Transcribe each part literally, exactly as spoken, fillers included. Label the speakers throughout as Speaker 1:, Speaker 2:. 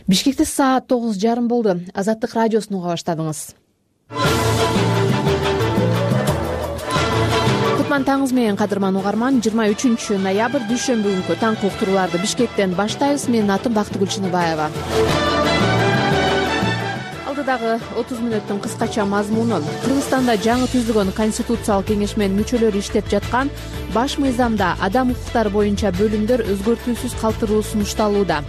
Speaker 1: Бишкекте саат тогуз жарым болду. Азаттык радиосун уга баштадыңыз. Кутман таңыңыз менен, кадырман угарман. жыйырма үчүнчү ноябрь дүйшөмбү күнкү таңкы уктурууларды Бишкектен баштайбыз. Менин атым Бактыгүл Чыныбаева. Алдыдагы отуз мүнөттүн кыскача мазмуну: Кыргызстанда жаңы түзүлгөн Конституциялык кеңеш менен мүчөлөрү иштеп жаткан баш мыйзамда адам укуктары боюнча бөлүмдөр өзгөртүүсүз калтырылуу сунушталууда.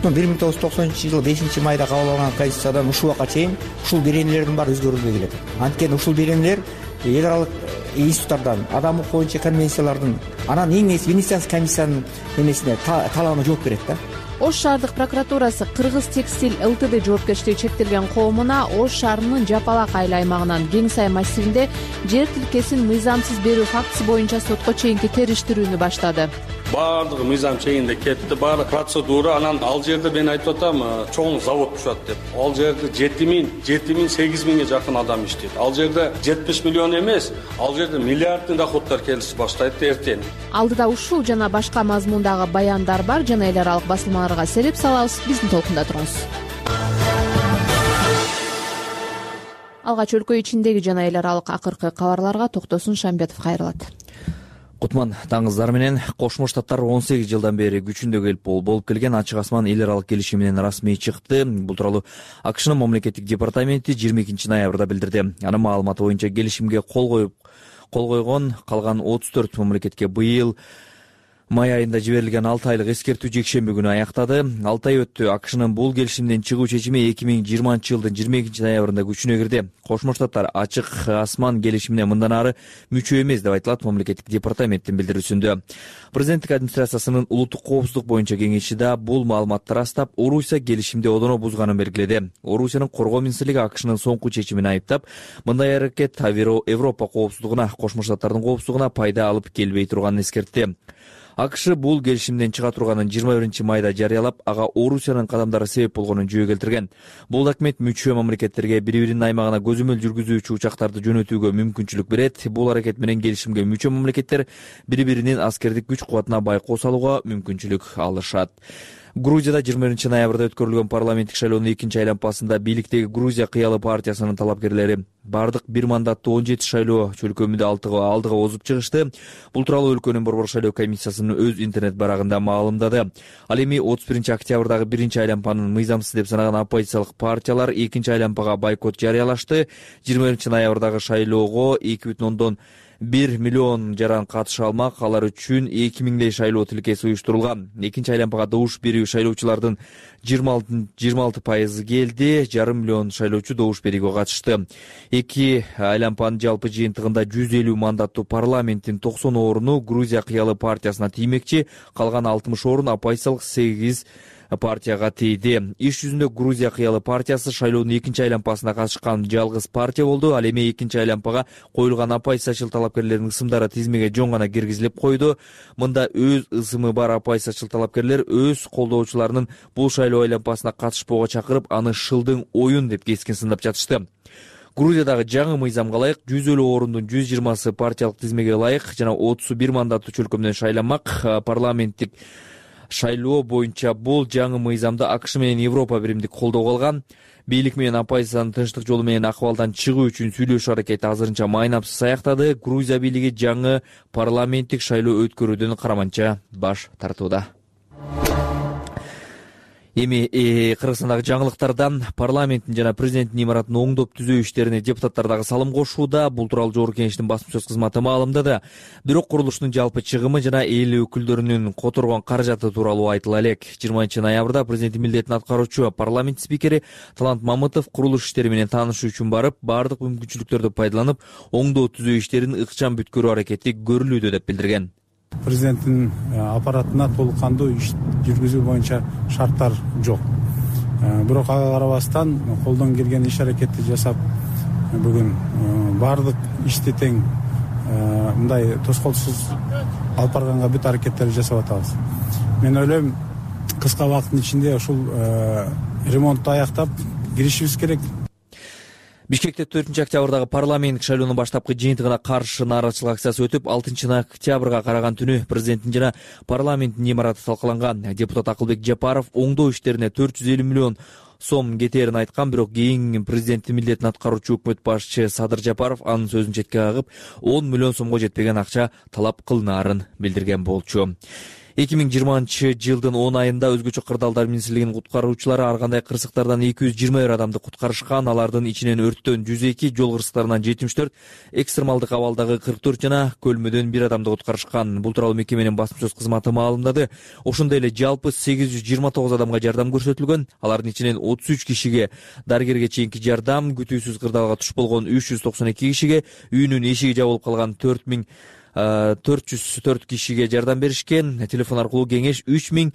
Speaker 2: бир миң тогуз жүз токсонунчу жылы бешинчи майда кабыл алынган Конституциядан ушул убакка чейин ушул беренелердин баары өзгөрүлбөй келет. Анткени ушул беренелер эл аралык институттардан, адам укугу боюнча конвенциялардын, анан эң негизи Венецианский комиссиянын эмесине, талабына жооп берет да.
Speaker 1: Ош шаардык прокуратурасы Кыргыз текстиль ЛТД жоопкерчилиги чектелген коомуна Ош шаарынын Жапалак айыл аймагынан Кең Сай массивинде жер тилкесин мыйзамсыз берүү фактысы боюнча сотко чейинки териштирүүнү баштады.
Speaker 3: Баардыгы мыйзам чегинде кетти, баары процедура. Анан ал жерде мен айтып атам, чоң завод түшөт деп. Ал жерде жети миң, жети миң, сегиз миңге жакын адам иштейт. Ал жерде жетимиш миллион эмес, ал жерде миллиарддын доходдор келиш баштайт эртең.
Speaker 1: Алдыда ушул жана башка мазмундагы баяндар бар. Жана эл аралык басылмаларга селеп салабыз. Биздин толкунда туруңуз. Алгач өлкө ичиндеги жана эл аралык акыркы кабарларга Токтосун Шамбетов кайрылат.
Speaker 4: Кутман таңыңыздар менен. Кошмо Штаттар он сегиз жылдан бери күчүндө келип болуп келген ачык асман эл аралык келишиминен расмий чыкты. Бул тууралуу АКШнын мамлекеттик департаменти жыйырма экинчи ноябрда билдирди. Анын маалыматы боюнча келишимге кол коюп кол койгон калган отуз төрт мамлекетке быйыл май айында жиберилген алты айлык эскертүү жекшемби күнү аяктады. алты ай өттү. АКШнын бул келишимден чыгуу чечими эки миң жыйырманчы жылдын жыйырма экинчи ноябрында күчүнө кирди. Кошмо Штаттар ачык асман келишимине мындан ары мүчө эмес деп айтылат мамлекеттик департаменттин билдирүүсүндө. Президенттик администрациясынын улуттук коопсуздук боюнча кеңеши да бул маалыматты ырастап, Орусия келишимди одоно бузганын белгиледи. Орусиянын коргоо министрлиги АКШнын соңку чечимин айыптап, мындай аракет Европа коопсуздугуна, Кошмо Штаттардын коопсуздугуна пайда алып келбей турганын эскертти. АКШ бул келишимден чыга турганын жыйырма биринчи майда жарыялап, ага Орусиянын кадамдары себеп болгонун жөө келтирген. Бул документ мүчө мамлекеттерге бири-биринин аймагына көзөмөл жүргүзүүчү учактарды жөнөтүүгө мүмкүнчүлүк берет. Бул аракет менен келишимге мүчө мамлекеттер бири-биринин аскердик күч кубатына байкоо салууга мүмкүнчүлүк алышат. Грузияда жыйырма биринчи ноябрда өткөрүлгөн парламенттик шайлоонун экинчи айланпасында бийликтеги Грузия кыялы партиясынын талапкерлери бардык бир мандаттуу он жети шайлоо чөлкөмүндө алдыга озуп чыгышты. Бул тууралуу өлкөнүн борбор шайлоо комиссиясынын өз интернет барагында маалымдады. Ал эми отуз биринчи октябрдагы биринчи айланпанын мыйзамсыз деп санаган оппозициялык партиялар экинчи айланпага бойкот жарыялашты. жыйырма биринчи ноябрдагы шайлоого эки бүтүн ондон бир миллион жаран катыша алмак. Алар үчүн эки миңдей шайлоо тилкеси уюштурулган. Экинчи айланпага добуш берүү шайлоочулардын жыйырма алты пайызы келди. Жарым миллион шайлоочу добуш берүүгө катышты. Эки айланпанын жалпы жыйынтыгында жүз элүү мандаттуу парламенттин токсон оруну Грузия кыялы партиясына тиймекчи, калган алтымыш орун оппозициялык сегиз партияга тийди. Иш жүзүндө Грузия кыялы партиясы шайлоонун экинчи айланпасына катышкан жалгыз партия болду. Ал эми экинчи айланпага коюлган оппозициячыл талапкерлердин ысымдары тизмеге жоң гана киргизилип койду. Мында өз ысымы бар оппозициячыл талапкерлер өз колдоочуларынын бул шайлоо айланпасына катышпоого чакырып, аны шылдың оюн деп кескин сындап жатышты. Грузиядагы жаңы мыйзамга ылайык жүз элүү орундун жүз жыйырмасы партиялык тизмеге ылайык жана отуз бир мандаттуу чөлкөмдөн шайланмак. Парламенттик шайлоо боюнча бул жаңы мыйзамда АКШ менен Европа биримдик колдоого алган. Бийлик менен оппозициянын тынчтык жолу менен акыбалдан чыгуу үчүн сүйлөшүү аракети азырынча майнапсыз аяктады. Грузия бийлиги жаңы парламенттик шайлоо өткөрүүдөн караманча баш тартууда. Эми Кыргызстандагы жаңылыктардан парламенттин жана президенттин имаратын оңдоп түзөө иштерине депутаттар дагы салым кошууда. Бул тууралуу жогорку кеңештин басма-сөз кызматы маалымдады. Бирок курулуштун жалпы чыгымы жана эл өкүлдөрүнүн которгон каражаты тууралуу айтыла элек. жыйырманчы ноябрда президенттин милдетин аткаруучу парламент спикери Талант Мамытов курулуш иштери менен таанышуу үчүн барып, бардык мүмкүнчүлүктөрдү пайдаланып, оңдоо түзөө иштерин ыкчам бүткөрүү аракети көрүлүүдө деп билдирген.
Speaker 5: Президенттин аппаратына толук кандуу иш жүргүзүү боюнча шарттар жок. Бирок ага карабастан колдон келген иш аракетти жасап, бүгүн бардык ишти тең мындай тоскоолсуз алып барганга бүт аракеттерди жасап атабыз. Мен ойлойм, кыска убакыттын ичинде ушул ремонтту аяктап киришибиз керек.
Speaker 4: Бишкекте төртүнчү октябрдагы парламент шайлоонун баштапкы жыйынтыгына каршы нааразычылык акциясы өтүп, алтынчы октябрга караган түнү президенттин жана парламенттин имараты талкаланган. Депутат Акылбек Жапаров оңдоо иштерине төрт жүз элүү миллион сом кетээрин айткан, бирок кийин президенттин милдетин аткаруучу өкмөт башчы Садыр Жапаров анын сөзүн четке кагып, он миллион сомго жетпеген акча талап кылынаарын билдирген болчу. эки миң жыйырманчы жылдын он айында өзгөчө кырдаалдар министрлигинин куткаруучулары ар кандай кырсыктардан эки жүз жыйырма бир адамды куткарышкан. Алардын ичинен өрттөн жүз эки, жол кырсыктарынан жетимиш төрт, экстремалдык абалдагы кырк төрт жана көлмөдөн бир адамды куткарышкан. Бул тууралуу мекеменин басма сөз кызматы маалымдады. Ошондой эле жалпы сегиз жүз жыйырма тогуз адамга жардам көрсөтүлгөн. Алардын ичинен отуз үч кишиге дарыгерге чейинки жардам, күтүүсүз кырдаалга туш болгон үч жүз токсон эки кишиге, үйүнүн эшиги жабылып калган төрт миң төрт жүз төрт кишиге жардам беришкен. Телефон аркылуу кеңеш үч миң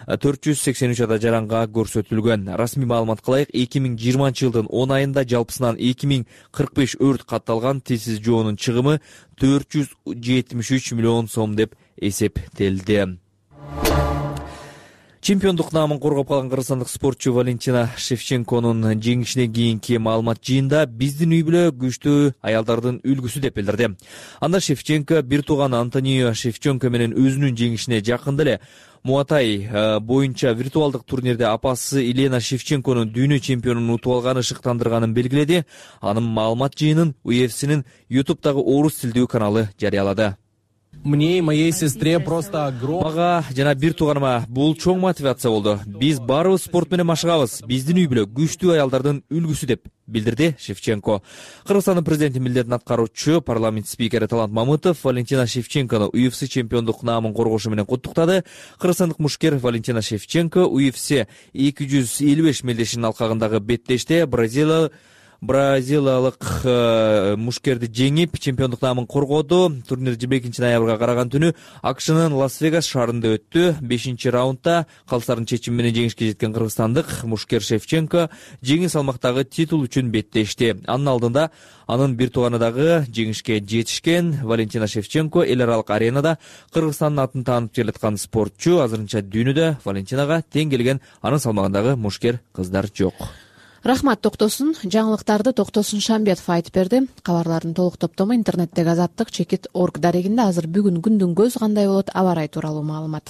Speaker 4: төрт жүз сексен үч ада жаранга көрсөтүлгөн. Расмий маалымат кылайык, эки миң жыйырманчы жылдын он айында жалпысынан эки миң кырк беш өрт катталган. Тизсиз жоонун чыгымы төрт жүз жетимиш үч миллион сом деп эсептелди. Чемпиондук наамын коргоп калган кыргызстандык спортчу Валентина Шевченконун жеңишинен кийинки маалымат жыйында биздин үй бүлө күчтүү аялдардын үлгүсү деп билдирди. Анда Шевченко бир тууганы Антонио Шевченко менен өзүнүн жеңишине жакында эле Муатай боюнча виртуалдык турнирде апасы Елена Шевченконун дүйнө чемпионун утуп алганы шыктандырганын белгиледи. Анын маалымат жыйынын ю эф синин ютубтагы орус тилдүү каналы жарыялады.
Speaker 6: Мне и моей сестре просто огромное.
Speaker 4: Мага жана бир тууганыма бул чоң мотивация болду. Биз барыбыз спорт менен машыгабыз. Биздин үй бүлө күчтүү аялдардын үлгүсү деп билдирди Шевченко. Кыргызстандын президенти милдетин аткаруучу парламент спикери Талант Мамытов Валентина Шевченкону ю эф си чемпиондук наамын коргошу менен куттуктады. Кыргызстандык мушкер Валентина Шевченко ю эф си эки жүз элүү беш мелдешинин алкагындагы беттеште Бразилия Бразилиялык мушкерди жеңип, чемпиондук наамын коргоду. Турнир жыйырма экинчи ноябрга караган түнү Акшнын Лас-Вегас шаарында өттү. бешинчи раундда калыстардын чечими менен жеңишке жеткен кыргызстандык мушкер Шевченко жеңил салмактагы титул үчүн беттешти. Анын алдында анын бир тууганы дагы жеңишке жетишкен. Валентина Шевченко эл аралык аренада Кыргызстандын атын таанып келаткан спортчу. Азырынча дүйнөдө Валентинага тең келген анын салмагындагы мушкер кыздар жок.
Speaker 1: Рахмат токтосун. Жаңылыктарды Токтосун Шамбетов айтып берди. Кабарлардын толук топтому интернеттеги азаттык чекит орг дарегинде. Азыр бүгүн күндүн көзү кандай болот, аба ырайы тууралуу маалымат.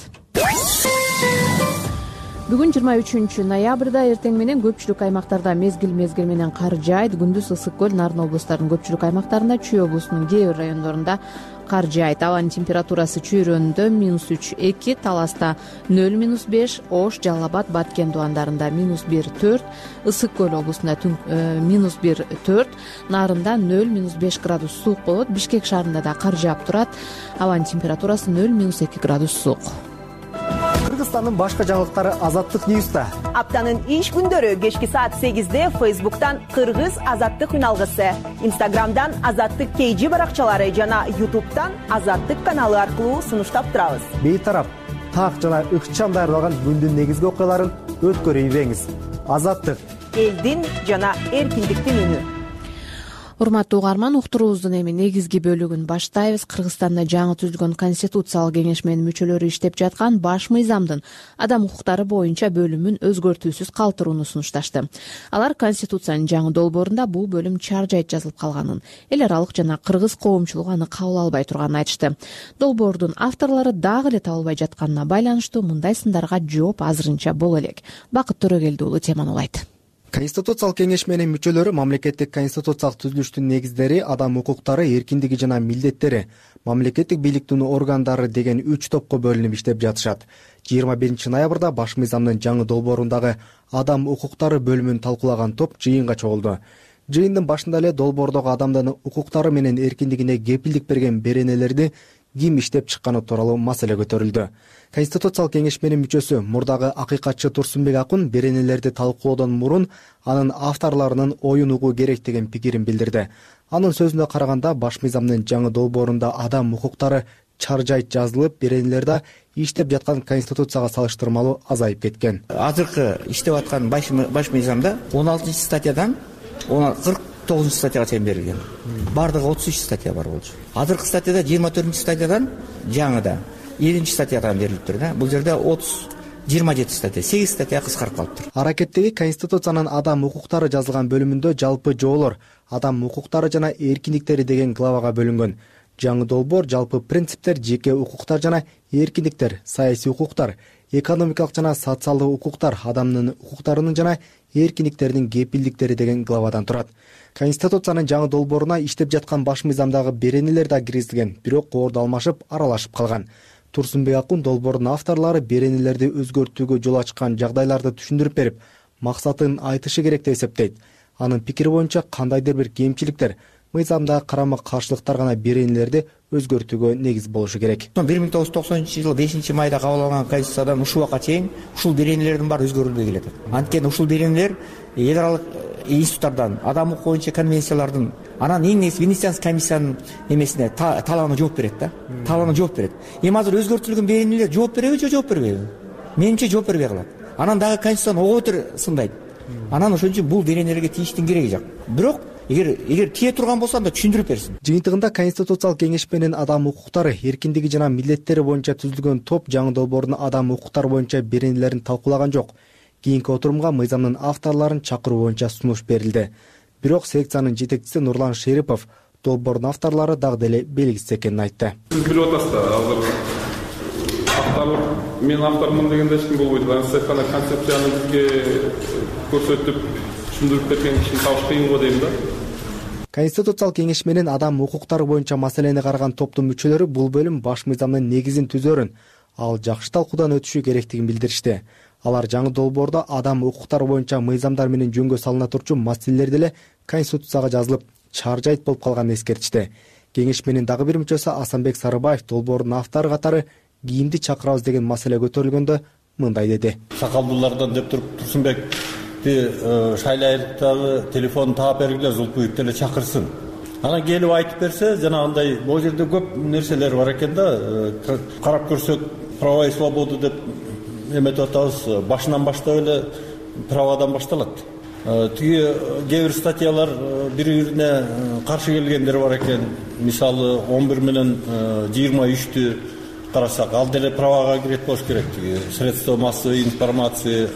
Speaker 1: Бүгүн жыйырма үчүнчү ноябрда эртең менен көпчүлүк аймактарда мезгил-мезгил менен кар жаайт. Күндүз Ысык көл, Нарын облустарынын көпчүлүк аймактарында, Чүй облусунун кээ бир райондорунда кар жаайт. Абанын температурасы Чүйрөндө минус үч эки, Таласта нөл минус беш, Ош, Жалал Абад, Баткен дубандарында минус бир төрт, Ысык көл облусунда минус бир төрт, Нарында нөл минус беш градус суук болот. Бишкек шаарында да кар жаап турат. Абанын температурасы нөл минус эки градус суук.
Speaker 7: Кыргызстандын башка жаңылыктары Азаттык Ньюста.
Speaker 8: Аптанын иш күндөрү кечки саат сегизде Фейсбуктан Кыргыз Азаттык үналгысы, Инстаграмдан Азаттык кей жи баракчалары жана Ютубтан Азаттык каналы аркылуу сунуштап турабыз.
Speaker 7: Бейтарап, так жана ыкчам даярдалган күндүн негизги окуяларын өткөрүп ийбеңиз. Азаттык,
Speaker 8: элдин жана эркиндиктин үнү.
Speaker 1: Урматтуу угарман, уктуруубуздун эми негизги бөлүгүн баштайбыз. Кыргызстанда жаңы түзүлгөн Конституциялык кеңеш менен мүчөлөрү иштеп жаткан баш мыйзамдын адам укуктары боюнча бөлүмүн өзгөртүүсүз калтырууну сунушташты. Алар Конституциянын жаңы долбоорунда бул бөлүм чаржайт жазылып калганын, эл аралык жана кыргыз коомчулугу аны кабыл албай турганын айтышты. Долбоордун авторлору дагы эле табылбай жатканына байланыштуу мындай сындарга жооп азырынча боло элек. Бакыт Төрөгелди уулу теманы улайт.
Speaker 7: Конституциялык кеңеш менен мүчөлөрү мамлекеттик конституциялык түзүлүштүн негиздери, адам укуктары, эркиндиги жана милдеттери, мамлекеттик бийликтин органдары деген үч топко бөлүнүп иштеп жатышат. жыйырма биринчи ноябрда баш мыйзамдын жаңы долбоорундагы адам укуктары бөлүмүн талкуулаган топ жыйынга чогулду. Жыйындын башында эле долбоордогу адамдын укуктары менен эркиндигине кепилдик берген беренелерди ким иштеп чыкканы тууралуу маселе көтөрүлдү. Конституциялык кеңеш менен мүчөсү мурдагы акыйкатчы Турсунбек Акун беренелерди талкуулоодон мурун анын авторлорунун оюн угуу керек деген пикирин билдирди. Анын сөзүнө караганда, баш мыйзамдын жаңы долбоорунда адам укуктары чаржайт жазылып, беренелерде иштеп жаткан Конституцияга салыштырмалуу азайып кеткен.
Speaker 2: Азыркы иштеп аткан баш мыйзамда он алтынчы статьядан кырк тогузунчу статьяга чейин берилген. Бардыгы отуз үч статья бар болчу. Азыркы статьяда жыйырма төртүнчү статьядан жаңыда элүүнчү статьядан берилиптир да. Бул жерде отуз жыйырма жети статья, сегиз статья кыскарып калыптыр.
Speaker 7: Аракеттеги Конституциянын адам укуктары жазылган бөлүмүндө жалпы жоолор адам укуктары жана эркиндиктери деген главага бөлүнгөн. Жаңы долбоор жалпы принциптер, жеке укуктар жана эркиндиктер, саясий укуктар, экономикалык жана социалдык укуктар, адамдын укуктарынын жана эркиндиктеринин кепилдиктери деген главадан турат. Конституциянын жаңы долбооруна иштеп жаткан баш мыйзамдагы беренелер да киргизилген, бирок коорду алмашып, аралашып калган. Турсунбек Акун долбоордун авторлору беренелерди өзгөртүүгө жол ачкан жагдайларды түшүндүрүп берип, максатын айтышы керек деп эсептейт. Анын пикири боюнча кандайдыр бир кемчиликтер, мыйзамдагы карама каршылыктар гана беренелерди өзгөртүүгө негиз болушу керек.
Speaker 2: бир миң тогуз жүз токсонунчу жылы бешинчи майда кабыл алынган Конституциядан ушул убакка чейин ушул беренелердин баары өзгөрүлбөй келет. Анткени ушул беренелер эл аралык институттардан, адам укугу боюнча конвенциялардын, анан эң негизи Венецианский комиссиянын эмесине талабына жооп берет да. Талабына жооп берет. Эми азыр өзгөртүлгөн беренелер жооп береби же жооп бербейби? Менимче жооп бербей калат. Анан дагы Конституцияны ого бетер сындайт. Анан ошон үчүн бул беренелерге тийиштин кереги жок. Бирок эгер эгер тие турган болсо анда түшүндүрүп берсин.
Speaker 7: Жыйынтыгында Конституциялык кеңеш менен адам укуктары, эркиндиги жана милдеттери боюнча түзүлгөн топ жаңы долбоордун адам укуктары боюнча беренелерин талкуулаган жок. Кийинки отурумга мыйзамдын авторлорун чакыруу боюнча сунуш берилди. Бирок секциянын жетекчиси Нурлан Шерипов долбоордун авторлору дагы деле белгисиз экенин айтты.
Speaker 9: Сиз билип атасыз да, азыр авторлор мен автормун дегенде эч ким болбойт. Анан тек гана концепцияны бизге көрсөтүп түшүндүрүп берген кишини табыш кыйын го дейм да.
Speaker 7: Конституциялык кеңеш менен адам укуктары боюнча маселени караган топтун мүчөлөрү бул бөлүм баш мыйзамдын негизин түзөрүн, ал жакшы талкуудан өтүшү керектигин билдиришти. Алар жаңы долбоордо адам укуктары боюнча мыйзамдар менен жөнгө салына турчу маселелер деле Конституцияга жазылып, чаржайт болуп калганын эскертишти. Кеңеш менен дагы бир мүчөсү Асанбек Сарыбаев долбоордун автору катары кийимди чакырабыз деген маселе көтөрүлгөндө мындай деди.
Speaker 10: Сакалдуулардан деп туруп Турсунбекти шайлайдагы телефон таап бергиле, Зулпуевди эле чакырсын. Анан келип айтып берсе, жанагындай бул жерде көп нерселер бар экен да. Карап көрсөк, права и свобода деп эметип атабыз, башынан баштап эле правадан башталат. Тиги кээ бир статьялар бири-бирине каршы келгендер бар экен. Мисалы он бир менен жыйырма үчтү карасак, ал деле правага кирет болуш керек. Тиги средства массовой информации,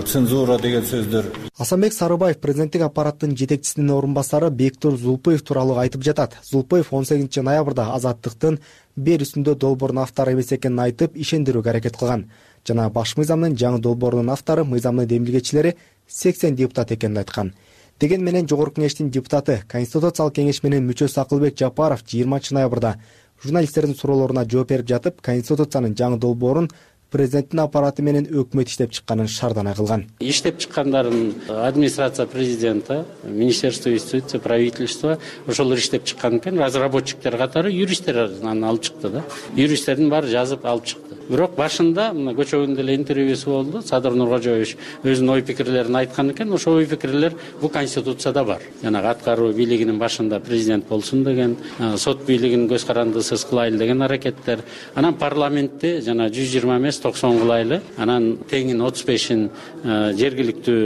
Speaker 10: цензура деген сөздөр.
Speaker 7: Асанбек Сарыбаев президенттик аппараттын жетекчисинин орун басары Бектур Зулпуев тууралуу айтып жатат. Зулпуев он сегизинчи ноябрда Азаттыктын берүүсүндө долбоордун автору эмес экенин айтып, ишендирүүгө аракет кылган. Жана баш мыйзамдын жаңы долбоорунун автору мыйзамдын демилгечилери сексен депутат экенин айткан. Деген менен жогорку кеңештин депутаты, Конституциялык кеңеш менен мүчөсү Акылбек Жапаров жыйырманчы ноябрда журналисттердин суроолоруна жооп берип жатып, Конституциянын жаңы долбоорун президенттин аппараты менен өкмөт иштеп чыкканын шаардана кылган.
Speaker 11: Иштеп чыккандарын администрация президента, министерство юстиции, правительство ошолор иштеп чыккан экен. Разработчиктер катары юристтер аны алып чыкты да. Юристтердин баары жазып алып чыкты. Бирок башында мына көчөгүндө эле интервьюсу болду. Садыр Нуркожоевич өзүнүн ой пикирлерин айткан экен. Ошол ой пикирлер бул Конституцияда бар. Жана аткаруу бийлигинин башында президент болсун деген, сот бийлигин көз карандысыз кылайлы деген аракеттер. Анан парламентте жана жүз жыйырма эмес токсон кылайлы. Анан теңин отуз бешин жергиликтүү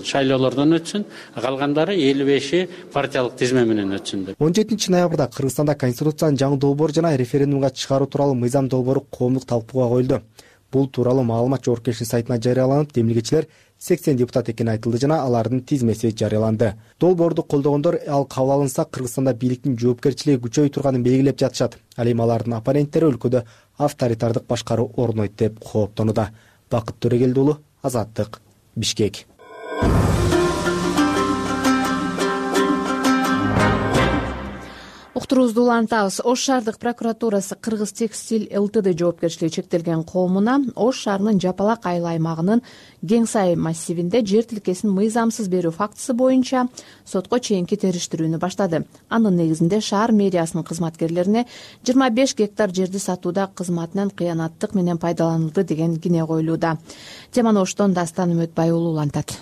Speaker 11: шайлоолордон өтсүн. Калгандары элүү беши партиялык тизме менен өтсүн деп.
Speaker 7: он жетинчи ноябрда Кыргызстанда Конституциянын жаңы долбоору жана референдумга чыгаруу тууралуу мыйзам долбоору коомдук талкууга коюлду. Бул тууралуу маалымат жогорку кеңештин сайтына жарыяланып, демилгечилер сексен депутат экени айтылды жана алардын тизмеси жарыяланды. Долбоорду колдогондор ал кабыл алынса Кыргызстанда бийликтин жоопкерчилиги күчөйүп турганын белгилеп жатышат. Ал эми алардын оппоненттери өлкөдө авторитардык башкаруу орнойт деп кооптонууда. Бакыт Төрегелди уулу, Азаттык, Бишкек.
Speaker 1: Уктуруубузду улантабыз. Ош шаардык прокуратурасы Кыргыз текстиль ЛТД жоопкерчилиги чектелген коомуна Ош шаарынын Жапалак айыл аймагынын Кеңсай массивинде жер тилкесин мыйзамсыз берүү фактысы боюнча сотко чейинки териштирүүнү баштады. Анын негизинде шаар мэриясынын кызматкерлерине жыйырма беш гектар жерди сатууда кызматынан кыянаттык менен пайдаланылды деген кине коюлууда. Теманы Оштон Дастан Үмөтбай уулу улантат.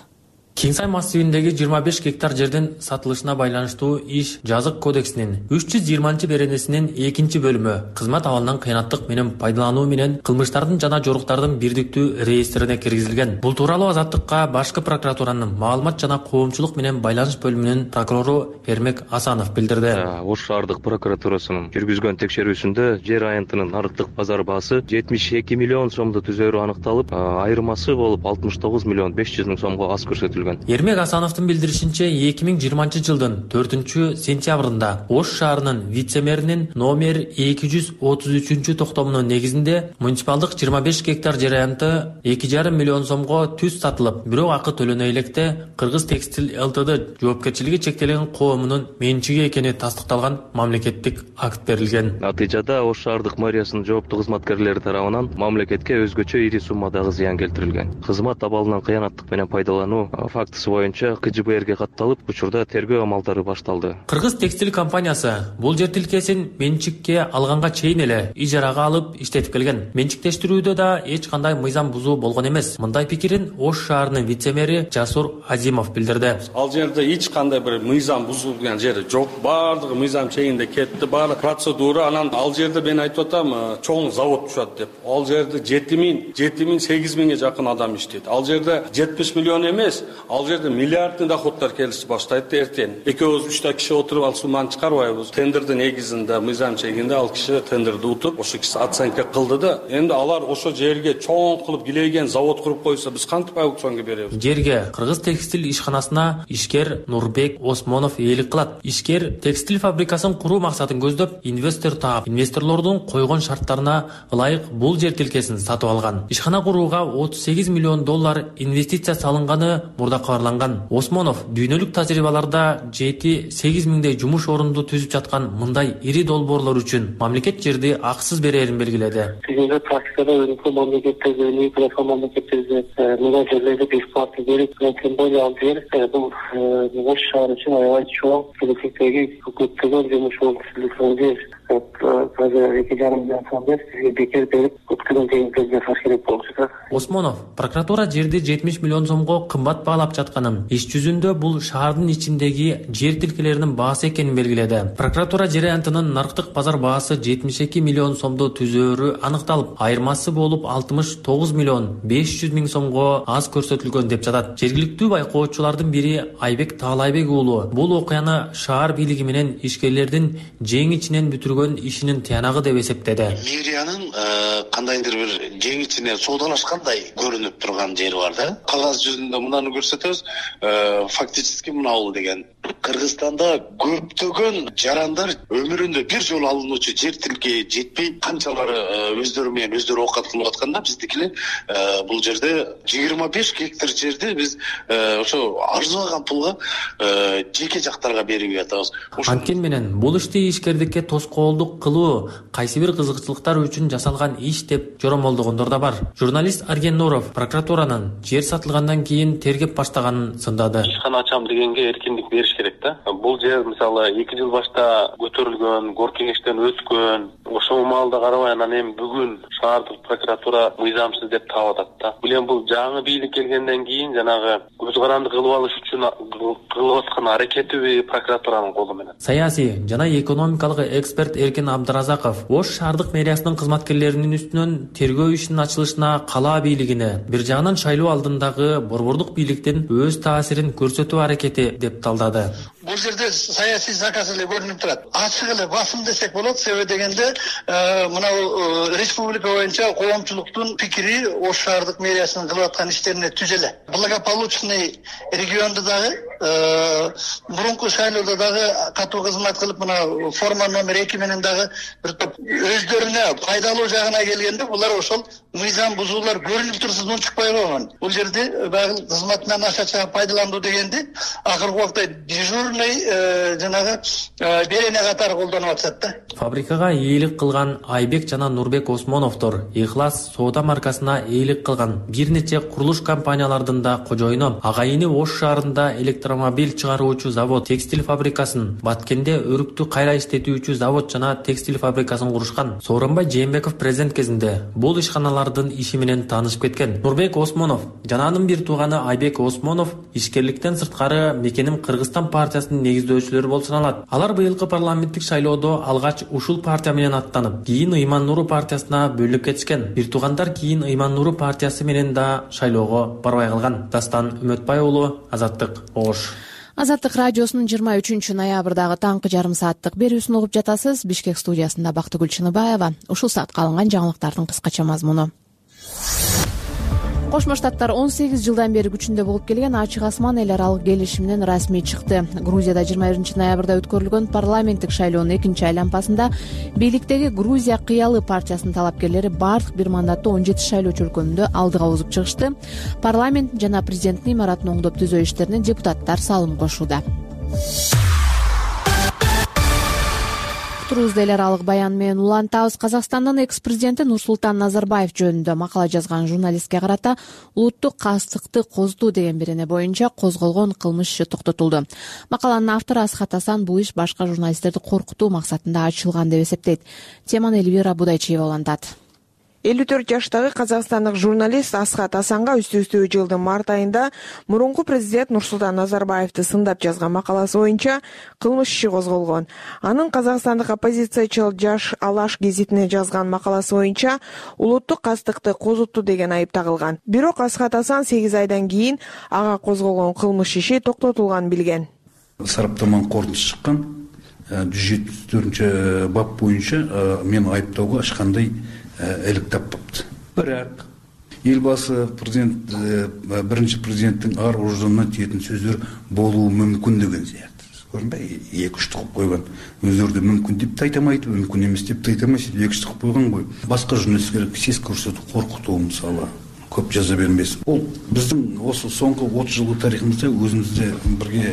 Speaker 6: Кең Сай массивиндеги жыйырма беш гектар жердин сатылышына байланыштуу иш жазык кодексинин үч жүз жыйырманчы беренесинин экинчи бөлүмү кызмат абалынан кыянаттык менен пайдалануу менен кылмыштардын жана жоруктардын бирдиктүү реестрине киргизилген. Бул тууралуу Азаттыкка Башкы прокуратуранын маалымат жана коомчулук менен байланыш бөлүмүнүн прокурору Эрмек Асанов билдирди.
Speaker 12: Ош шаардык прокуратурасынын жүргүзгөн текшерүүсүндө жер аянтынын нарыктык базар баасы жетимиш эки миллион сомду түзөөрү аныкталып, айырмасы болуп алтымыш тогуз миллион беш жүз миң сомго аз көрсөтүлгөн.
Speaker 6: Эрмек Асановдун билдиришинче эки миң жыйырманчы жылдын төртүнчү сентябрында Ош шаарынын вице-мэринин номер эки жүз отуз үчүнчү токтомунун негизинде муниципалдык жыйырма беш гектар жер аянты эки жарым миллион сомго түз сатылып, бирок акы төлөнө электе Кыргыз Текстиль ЛТД жоопкерчилиги чектелген коомунун менчиги экени тастыкталган мамлекеттик акт берилген.
Speaker 12: Натыйжада Ош шаардык мэриясынын жооптуу кызматкерлери тарабынан мамлекетке өзгөчө ири суммадагы зыян келтирилген. Кызмат абалынан кыянаттык менен пайдалануу фактысы боюнча К Ж Б Рге катталып, учурда тергөө амалдары башталды.
Speaker 6: Кыргыз Текстиль компаниясы бул жер тилкесин менчикке алганга чейин эле ижарага алып иштетип келген. Менчиктештирүүдө да эч кандай мыйзам бузуу болгон эмес. Мындай пикирин Ош шаарынын вице-мэри Жасур Азимов билдирди.
Speaker 3: Ал жерде эч кандай бир мыйзам бузулган жери жок. Баардыгы мыйзам чегинде кетти. Баары процедура. Анан ал жерде мен айтып атам, чоң завод түшөт деп. Ал жерде жети миң, жети миң, сегиз миңге жакын адам иштейт. Ал жерде жетимиш миллион эмес, ал жерде миллиардный доходдор келиши баштайт эртең. Экөөбүз үчтө киши отуруп ал сумманы чыгарбайбыз. Тендердин негизинде, мыйзам чегинде ал киши тендерди утуп, ошо киши оценка кылды да. Эми алар ошо жерге чоң кылып килейген завод куруп койсо, биз кантип аукционго беребиз?
Speaker 6: Жерге Кыргыз Текстиль ишканасына ишкер Нурбек Осмонов ээлик кылат. Ишкер текстиль фабрикасын куруу максатын көздөп, инвестор таап, инвесторлордун койгон шарттарына ылайык бул жер тилкесин сатып алган. Ишкана курууга отуз сегиз миллион доллар инвестиция салынганы мурда кабарланган. Осмонов дүйнөлүк тажрыйбаларда жети-сегиз миңдей жумуш орунду түзүп жаткан мындай ири долбоорлор үчүн мамлекет жерди акысыз берерин белгиледи.
Speaker 13: Бүгүнкү практикада өнүккөн мамлекеттерде, өнүккөн мамлекеттерде мындай жерлерди бекитип керек. Тем более ал жер бул Ош шаары үчүн аябай чоң, келечектеги көптөгөн жумуш орун жер. Азыр эки жарым миллион сомдор сизге бекер берип, көптөгөн жеңилдик жасаш керек болчу.
Speaker 6: Осмонов прокуратура жерди жетимиш миллион сомго кымбат баалап жатканын, иш жүзүндө бул шаардын ичиндеги жер тилкелеринин баасы экенин белгиледи. Прокуратура жер аянтынын нарыктык базар баасы жетимиш эки миллион сомду түзөөрү аныкталып, айырмасы болуп алтымыш тогуз миллион беш жүз миң сомго аз көрсөтүлгөн деп жатат. Жергиликтүү байкоочулардын бири Айбек Таалайбек уулу бул окуяны шаар бийлиги менен ишкерлердин жең ичинен бүтүргөн ишинин тыянагы деп эсептеди.
Speaker 14: Мэриянын кандайдыр бир жең ичине соодалашкандай көрүнүп турган жери бар да. Кагаз жүзүндө мынаны көрсөтөбүз. Фактически мынабул деген Кыргызстанда көптөгөн жарандар өмүрүндө бир жолу алынуучу жер тилке жетпей, канчалары өздөрү менен өздөрү оокат кылып атканда, биздикилер бул жерде жыйырма беш гектар жерди биз ошо арзыбаган пулга жеке жактарга берип атабыз.
Speaker 6: Анткени менен бул ишти ишкердикке тоскоолдук кылуу кайсы бир кызыкчылыктар үчүн жасалган иш деп жоромолдогондор да бар. Журналист Арген Нуров прокуратуранын жер сатылгандан кийин тергеп баштаганын сындады.
Speaker 15: Ишкана ачам дегенге эркиндик бериш керек да. Бул жер мисалы эки жыл башта көтөрүлгөн, гор кеңештен өткөн, ошол маалда карабай анан эми бүгүн шаардык прокуратура мыйзамсыз деп таап атат да. Бул эми бул жаңы бийлик келгенден кийин жанагы көз каранды кылып алыш үчүн кылып аткан аракетиби прокуратуранын колу менен.
Speaker 6: Саясий жана экономикалык эксперт Эркен Абдыразаков Ош шаардык мэриясынын кызматкерлеринин үстүнөн тергөө ишинин ачылышына кала бийлигине, бир жагынан шайлоо алдындагы борбордук бийликтин өз таасирин көрсөтүү аракети деп талдады.
Speaker 16: Бул жерде саясий заказ эле көрүнүп турат. Ачык эле басым десек болот. Себеби дегенде мына республика боюнча коомчулуктун пикири Ош шаардык мэриясынын кылып аткан иштерине түз эле. Благополучный региондо дагы мурунку шайлоодо дагы катуу кызмат кылып, мына форма номер эки менен дагы бир топ өздөрүнө пайдалуу жагына келгенде булар ошол мыйзам бузуулар көрүнүп турсун унчукпай койгон. Бул жерде багыл кызматынан аша чыгып пайдалануу дегенди акыркы убакта дежурный жанагы берене катары колдонуп атышат да.
Speaker 6: Фабрикага ээлик кылган Айбек жана Нурбек Осмоновдор Ихлас соода маркасына ээлик кылган бир нече курулуш компаниялардын да кожоюну. Агайыны Ош шаарында электромобиль чыгаруучу завод, текстиль фабрикасын, Баткенде өрүктү кайра иштетүүчү завод жана текстиль фабрикасын курушкан. Сооронбай Жээнбеков президент кезинде бул ишканалар алардын иши менен таанышып кеткен. Нурбек Осмонов жана анын бир тууганы Айбек Осмонов ишкерликтен сырткары мекеним Кыргызстан партиясынын негиздөөчүлөрү болуп саналат. Алар быйылкы парламенттик шайлоодо алгач ушул партия менен аттанып, кийин Ыйман Нуру партиясына бөлүнүп кетишкен. Бир туугандар кийин Ыйман Нуру партиясы менен да шайлоого барбай калган. Дастан Үмөтбай уулу, Азаттык, Ош.
Speaker 1: Азаттык радиосунун жыйырма үчүнчү ноябрдагы таңкы жарым сааттык берүүсүн угуп жатасыз. Бишкек студиясында Бактыгүл Чыныбаева. Ушул саатка алынган жаңылыктардын кыскача мазмуну. Кошмо Штаттар он сегиз жылдан бери күчүндө болуп келген ачык асман эл аралык келишиминен расмий чыкты. Грузияда жыйырма биринчи ноябрда өткөрүлгөн парламенттик шайлоонун экинчи айланпасында бийликтеги Грузия кыялы партиясынын талапкерлери бардык бир мандаттуу он жети шайлоочу өлкөнүндө алдыга озуп чыгышты. Парламент жана президенттин имаратын оңдоп түзөө иштерине депутаттар салым кошууда. Турузда эл аралык баян менен улантабыз. Казакстандын экс-президенти Нурсултан Назарбаев жөнүндө макала жазган журналистке карата улуттук кастыкты козутуу деген берене боюнча козголгон кылмыш иши токтотулду. Макаланын автору Асхат Асан бул иш башка журналисттерди коркутуу максатында ачылган деп эсептейт. Теманы Элвира Будайчиева улантат.
Speaker 17: элүү төрт жаштагы казакстандык журналист Асхат Асанга үстү-үстү жылдын март айында мурунку президент Нурсултан Назарбаевди сындап жазган макаласы боюнча кылмыш иши козголгон. Анын казакстандык оппозициячыл Жаш Алаш гезитине жазган макаласы боюнча улуттук кастыкты козутту деген айып тагылган. Бирок Асхат Асан сегиз айдан кийин ага козголгон кылмыш иши токтотулганын билген.
Speaker 18: Сараптаманын корутуусу чыккан жүз жетимиш төртүнчү бап боюнча мен айыптоого эч кандай элек таппапты. Бирок элбасы президент биринчи президенттин ар ождонуна тиетін сөздөр болуу мүмкүн деген сыяктуу. Көрүнбөй, эки үч кылып койгон. Өздөрү мүмкүн деп да айтамайт, мүмкүн эмес деп да айтамайт, эки үч кылып койгон го. Башка журналисттер сес көрсөтүп коркутуу мисалы көп жаза бермесин. Ол биздин осы соңку отуз жылдык тарыхыбызда өзүбүздө бирге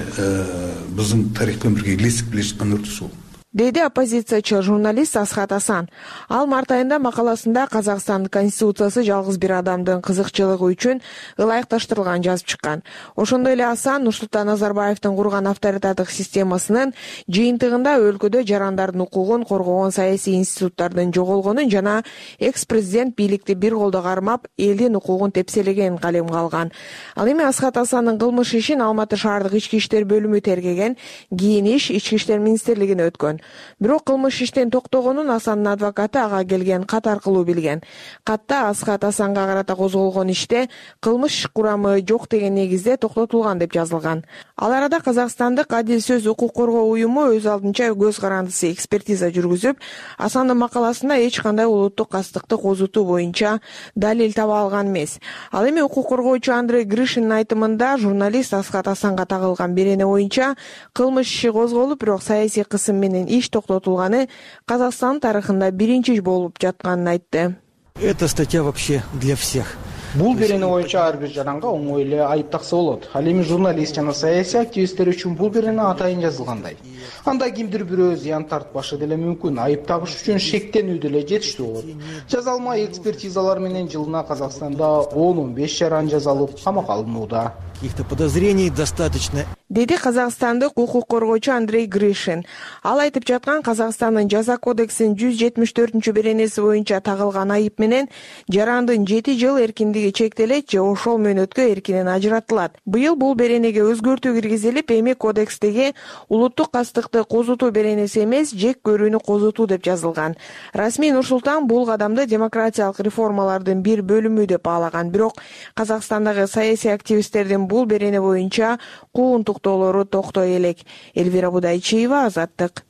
Speaker 18: биздин тарих менен бирге илесип келе жаткан үрдүс ол.
Speaker 17: Деди оппозициячыл журналист Асхат Асан. Ал март айында макаласында Казакстандын конституциясы жалгыз бир адамдын кызыкчылыгы үчүн ылайыкташтырылганын жазып чыккан. Ошондой эле Асан Нурсултан Назарбаевдин курган авторитардык системасынын жыйынтыгында өлкөдө жарандардын укугун коргогон саясий институттардын жоголгонун жана экс-президент бийликти бир колдо кармап, элдин укугун тепселегенин калемге алган. Ал эми Асхат Асандын кылмыш ишин Алматы шаардык ички иштер бөлүмү тергеген, кийин иш ички иштер министрлигине өткөн. Бирок кылмыш иштен токтогонун Асандын адвокаты ага келген кат аркылуу билген. Катта Асхат Асанга карата козголгон иште кылмыш курамы жок деген негизде токтотулган деп жазылган. Ал арада Казакстандык Адил сөз укук коргоо уюму өз алдынча көз карандысы экспертиза жүргүзүп, Асандын макаласында эч кандай улуттук кастыкты козутуу боюнча далил таба алган эмес. Ал эми укук коргоочу Андрей Гришиндин айтымында журналист Асхат Асанга тагылган берене боюнча кылмыш иши козголуп, бирок саясий кысым менен иш токтотулганы Казакстан тарыхында биринчи болуп жатканын айтты.
Speaker 19: Эта статья вообще для всех.
Speaker 20: Бул берене боюнча ар бир жаранга оңой эле айып такса болот. Ал эми журналист жана саясий активисттер үчүн бул берене атайын жазылгандай. Анда кимдир бирөө зыян тартпашы деле мүмкүн, айып тагыш үчүн шектенүү деле жетиштүү болот. Жазалма экспертизалар менен жылына Казакстанда он он беш жаран жазалып камакка алынууда.
Speaker 19: Каких-то подозрений достаточно.
Speaker 17: Деди казакстандык укук коргоочу Андрей Гришин. Ал айтып жаткан Казакстандын жаза кодексинин жүз жетимиш төртүнчү беренеси боюнча тагылган айып менен жарандын жети жыл эркиндиги чектелет же ошол мөөнөткө эркинен ажыратылат. Быйыл бул беренеге өзгөртүү киргизилип, эми кодекстеги улуттук кастыкты козутуу беренеси эмес, жек көрүүнү козутуу деп жазылган. Расмий Нурсултан бул кадамды демократиялык реформалардын бир бөлүмү деп баалаган. Бирок Казакстандагы саясий активисттердин бул берене боюнча куугунтуктоолору токтой элек. Элвира Будайчиева, Азаттык.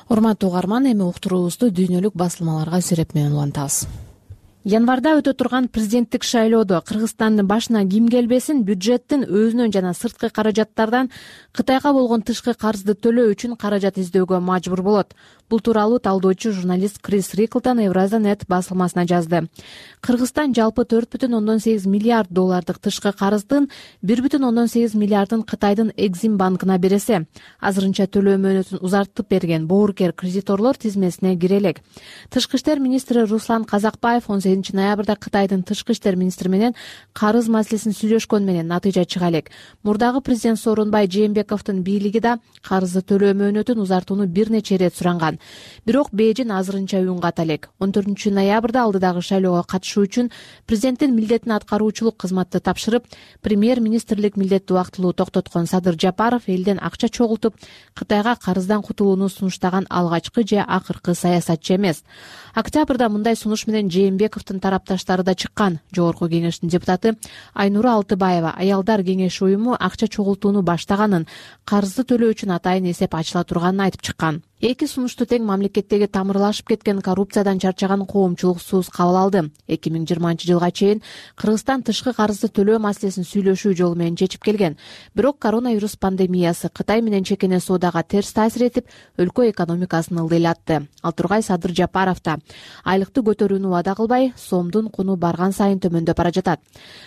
Speaker 1: Урматтуу угарман, эми уктуруубузду дүйнөлүк басылмаларга сүрөт менен улантабыз. Январда өтө турган президенттик шайлоодо Кыргызстандын башына ким келбесин бюджеттин өзүнөн жана сырткы каражаттардан Кытайга болгон тышкы карызды төлөө үчүн каражат издөөгө мажбур болот. Бул тууралуу талдоочу журналист Крис Риклтон Евразия нет басылмасына жазды. Кыргызстан жалпы төрт бүтүн ондон сегиз миллиард доллардык тышкы карыздын бир бүтүн ондон сегиз миллиардын Кытайдын Экзим банкына бересе, азырынча төлөө мөөнөтүн узартып берген боорукер кредиторлор тизмесине кире элек. Тышкы иштер министри Руслан Казакбаев он сегизинчи сегизинчи ноябрда Кытайдын тышкы иштер министри менен карыз маселесин сүйлөшкөн менен натыйжа чыга элек. Мурдагы президент Сооронбай Жээнбековдун бийлиги да карызды төлөө мөөнөтүн узартууну бир нече ирет суранган. Бирок Бээжин азырынча үн ката элек. он төртүнчү ноябрда алдыдагы шайлоого катышуу үчүн президенттин милдетин аткаруучулук кызматты тапшырып, премьер-министрлик милдетти убактылуу токтоткон Садыр Жапаров элден акча чогултуп, Кытайга карыздан кутулууну сунуштаган алгачкы же акыркы саясатчы эмес. Октябрда мындай сунуш менен Жээнбековдун тарапташтары да чыккан. Жогорку кеңештин депутаты Айнура Алтыбаева аялдар кеңеши уюму акча чогултууну баштаганын, карызды төлөө үчүн атайын эсеп ачыла турганын айтып чыккан. Эки сунушту тең мамлекеттеги тамырлашып кеткен коррупциядан чарчаган коомчулук сууз кабыл алды. эки миң жыйырманчы жылга чейин Кыргызстан тышкы карызды төлөө маселесин сүйлөшүү жолу менен чечип келген. Бирок коронавирус пандемиясы Кытай менен чекене соодага терс таасир этип, өлкө экономикасын ылдыйлатты. Ал тургай Садыр Жапаров да айлыкты көтөрүүнү убада кылбай, сомдун куну барган сайын төмөндөп бара жатат.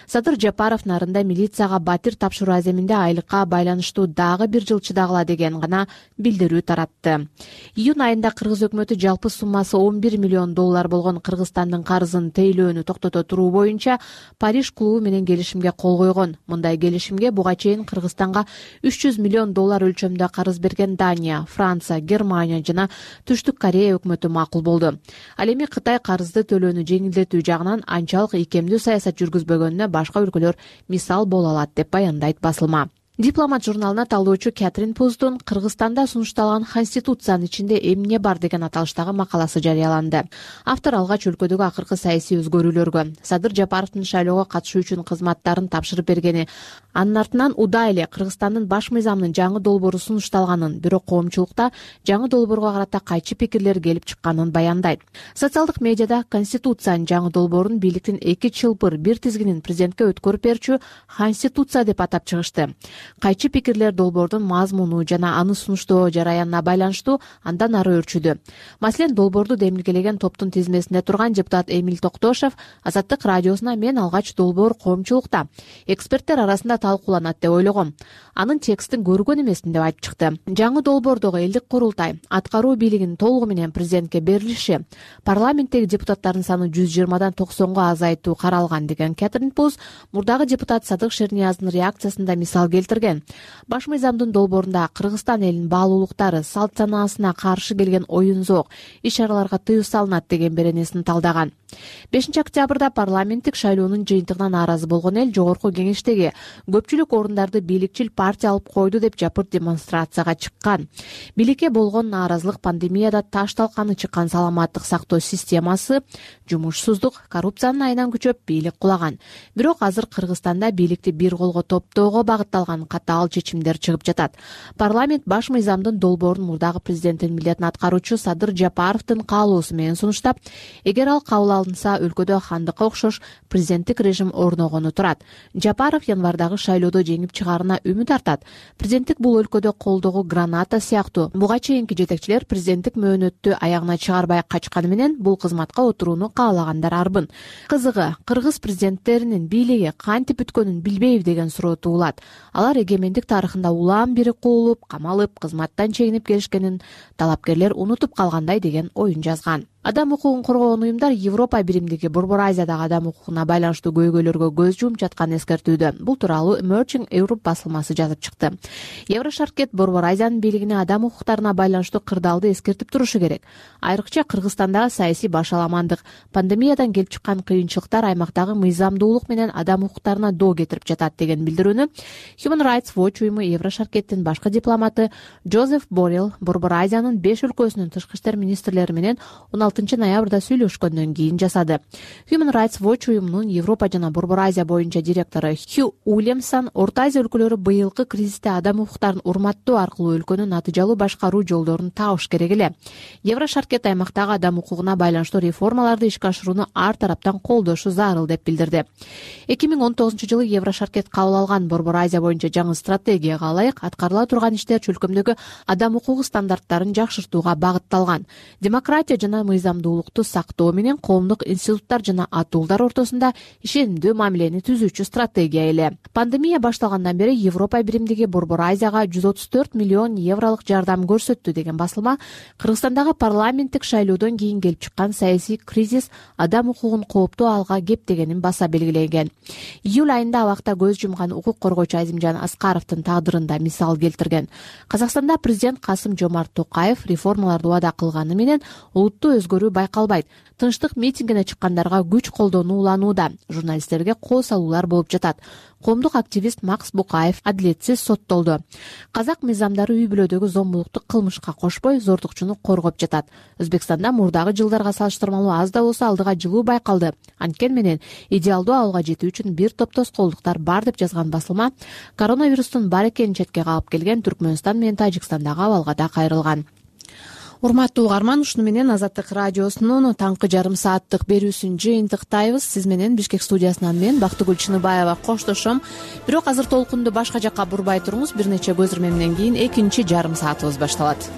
Speaker 1: Садыр Жапаров нарында милицияга батир тапшыруу аземинде айлыкка байланыштуу дагы бир жыл чыдагыла деген гана билдирүү таратты. Июнь айында Кыргыз өкмөтү жалпы суммасы он бир миллион доллар болгон Кыргызстандын карызын тейлөөнү токтото туруу боюнча Париж клубу менен келишимге кол койгон. Мындай келишимге буга чейин Кыргызстанга үч жүз миллион доллар өлчөмдө карыз берген Дания, Франция, Германия жана Түштүк Корея өкмөтү макул болду. Ал эми Кытай карызды төлөөнү жеңилдетүү жагынан анчалык ийкемдүү саясат жүргүзбөгөнүнө башка өлкөлөр мисал боло алат деп баяндайт басылма. Дипломат журналына талдоочу Кэтрин Пуздун Кыргызстанда сунушталган Конституциянын ичинде эмне бар деген аталыштагы макаласы жарыяланды. Автор алгач өлкөдөгү акыркы саясий өзгөрүүлөргө, Садыр Жапаровдун шайлоого катышуу үчүн кызматтарын тапшырып бергени, анын артынан удай эле Кыргызстандын баш мыйзамынын жаңы долбоору сунушталганын, бирок коомчулукта жаңы долбоорго карата кайчы пикирлер келип чыкканын баяндайт. Социалдык медиада Конституциянын жаңы долбоорун бийликтин эки чылбыр бир тизгинин президентке өткөрүп берчү Конституция деп атап чыгышты. Кайчы пикирлер долбоордун мазмуну жана аны сунуштоо жараянына байланыштуу андан ары өрчүдү. Маселен, долбоорду демилгелеген топтун тизмесинде турган депутат Эмиль Токтошев Азаттык радиосуна мен алгач долбоор коомчулукта, эксперттер арасында талкууланат деп ойлогом. Анын текстин көргөн эмесмин деп айтып чыкты. Жаңы долбоордогу элдик курултай аткаруу бийлигинин толугу менен президентке берилиши, парламенттеги депутаттардын саны жүз жыйырмадан токсонго азайтуу каралган деген Кэтрин Пуз мурдагы депутат Садык Шернияздын реакциясында мисал келтирген. Баш мыйзамдын долбоорунда Кыргызстан элинин баалуулуктары, салт санаасына каршы келген оюн-зоок, иш-чараларга тыюу салынат деген беренесин талдаган. бешинчи октябрда парламенттик шайлоонун жыйынтыгына нааразы болгон эл жогорку кеңештеги көпчүлүк орундарды бийликчил партия алып койду деп жапырт демонстрацияга чыккан. Бийликке болгон нааразылык пандемияда таш талканы чыккан саламаттык сактоо системасы, жумушсуздук, коррупциянын айынан күчөп бийлик кулаган. Бирок азыр Кыргызстанда бийликти бир колго топтоого багытталган катаал чечимдер чыгып жатат. Парламент баш мыйзамдын долбоорун мурдагы президенттин милдетин аткаруучу Садыр Жапаровдун каалоосу менен сунуштап, эгер ал кабыл алынса, өлкөдө хандыкка окшош президенттик режим орногону турат. Жапаров январдагы шайлоодо жеңип чыгаарына үмүт артат. Президенттик бул өлкөдө колдогу граната сыяктуу. Буга чейинки жетекчилер президенттик мөөнөттү аягына чыгарбай качканы менен бул кызматка отурууну каалагандар арбын. Кызыгы, кыргыз президенттеринин бийлиги кантип бүткөнүн билбейби деген суроо туулат. Алар эгемендик тарыхында улам бири куулуп, камалып, кызматтан чегинип келишкенин талапкерлер унутуп калгандай деген оюн жазган. Адам укугун коргогон уюмдар Европа биримдиги Борбор Азиядагы адам укугуна байланыштуу көйгөйлөргө көз жумуп жатканын эскертүүдө. Бул тууралуу Emerging Europe басылмасы жазып чыкты. Еврошаркет Борбор Азиянын бийлигине адам укуктарына байланыштуу кырдаалды эскертип турушу керек. Айрыкча Кыргызстандагы саясий башаламандык, пандемиядан келип чыккан кыйынчылыктар аймактагы мыйзамдуулук менен адам укуктарына доо кетирип жатат деген билдирүүнү Human Rights Watch уюму Еврошаркеттин башкы дипломаты Джозеф Боррелл Борбор Азиянын беш өлкөсүнүн тышкы иштер министрлери менен он алтынчы ноябрда сүйлөшкөндөн кийин жасады. Human Rights Watch уюмунун Европа жана Борбор Азия боюнча директору Хью Уильямсон Орто Азия өлкөлөрү быйылкы кризисте адам укуктарын урматтоо аркылуу өлкөнү натыйжалуу башкаруу жолдорун табыш керек эле. Еврошаркет аймактагы адам укугуна байланыштуу реформаларды ишке ашырууну ар тараптан колдошу зарыл деп билдирди. эки миң он тогузунчу жылы Еврошаркет кабыл алган Борбор Азия боюнча жаңы стратегияга ылайык аткарыла турган иштер чөлкөмдөгү адам укугу стандарттарын жакшыртууга багытталган. Демократия жана мыйзамдуулукту сактоо менен коомдук институттар жана атуулдар ортосунда ишенимдүү мамилени түзүүчү стратегия эле. Пандемия башталгандан бери Европа биримдиги Борбор Азияга жүз отуз төрт миллион евролук жардам көрсөттү деген басылма Кыргызстандагы парламенттик шайлоодон кийин келип чыккан саясий кризис адам укугун кооптуу алга кептегенин баса белгилеген. Июль айында абакта көз жумган укук коргоочу Азимжан Аскаровдун тагдырында мисал келтирген. Казакстанда президент Касым-Жомарт Токаев реформаларды убада кылганы менен улуттуу өзгөрүү байкалбайт. Тынчтык митингине чыккандарга күч колдонуу уланууда. Журналисттерге кол салуулар болуп жатат. Коомдук активист Макс Букаев адилетсиз соттолду. Казак мыйзамдары үй бүлөдөгү зомбулукту кылмышка кошпой, зордукчуну коргоп жатат. Өзбекстанда мурдагы жылдарга салыштырмалуу аз да болсо алдыга жылуу байкалды. Анткени менен идеалдуу абалга жетүү үчүн бир топ тоскоолдуктар бар деп жазган басылма коронавирустун бар экенин четке кагып келген Түркмөнстан менен Тажикстандагы абалга да кайрылган. Урматтуу угарман, ушуну менен Азаттык радиосунун таңкы жарым сааттык берүүсүн жыйынтыктайбыз. Сиз менен Бишкек студиясынан мен Бактыгүл Чыныбаева коштошом. Бирок азыр толкунду башка жакка бурбай туруңуз. Бир нече көзүрмемден кийин экинчи жарым саатыбыз башталат.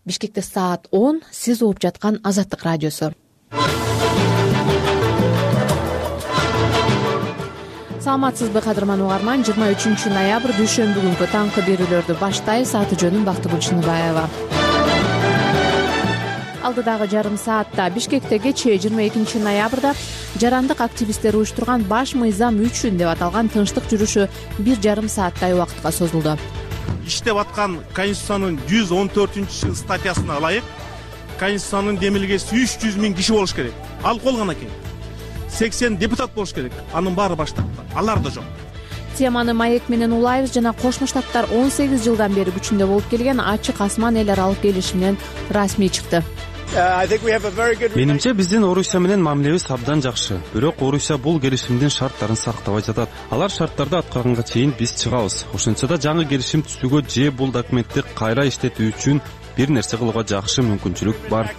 Speaker 1: Бишкекте саат он, сиз угуп жаткан Азаттык радиосу. Саламатсызбы кадырман угарман, жыйырма үчүнчү ноябрь дүйшөмбү күнкү таңкы берүүлөрдү баштайбыз. Аты жөнүм Бактыгүл Чыныбаева. Алдыдагы жарым саатта Бишкекте кечээ жыйырма экинчи ноябрда жарандык активисттер уюштурган баш мыйзам үчүн деп аталган тынчтык жүрүшү бир жарым сааттай убакытка созулду.
Speaker 21: Иштеп аткан Конституциянын жүз он төртүнчү статьясына ылайык Конституциянын демилгеси үч жүз миң киши болуш керек. Ал болгон экен. сексен депутат болуш керек. Анын баары баштапты. Алар да жок.
Speaker 1: Теманы маек менен улайбыз. Жана Кошмо Штаттар он сегиз жылдан бери күчүндө болуп келген ачык асман эл аралык келишиминен расмий чыкты.
Speaker 22: Менимче биздин Орусия менен мамилебиз абдан жакшы. Бирок Орусия бул келишимдин шарттарын сактабай жатат. Алар шарттарды аткарганга чейин биз чыгабыз. Ошентсе да жаңы келишим түзүүгө же бул документти кайра иштетүү үчүн бир нерсе кылууга жакшы мүмкүнчүлүк бар.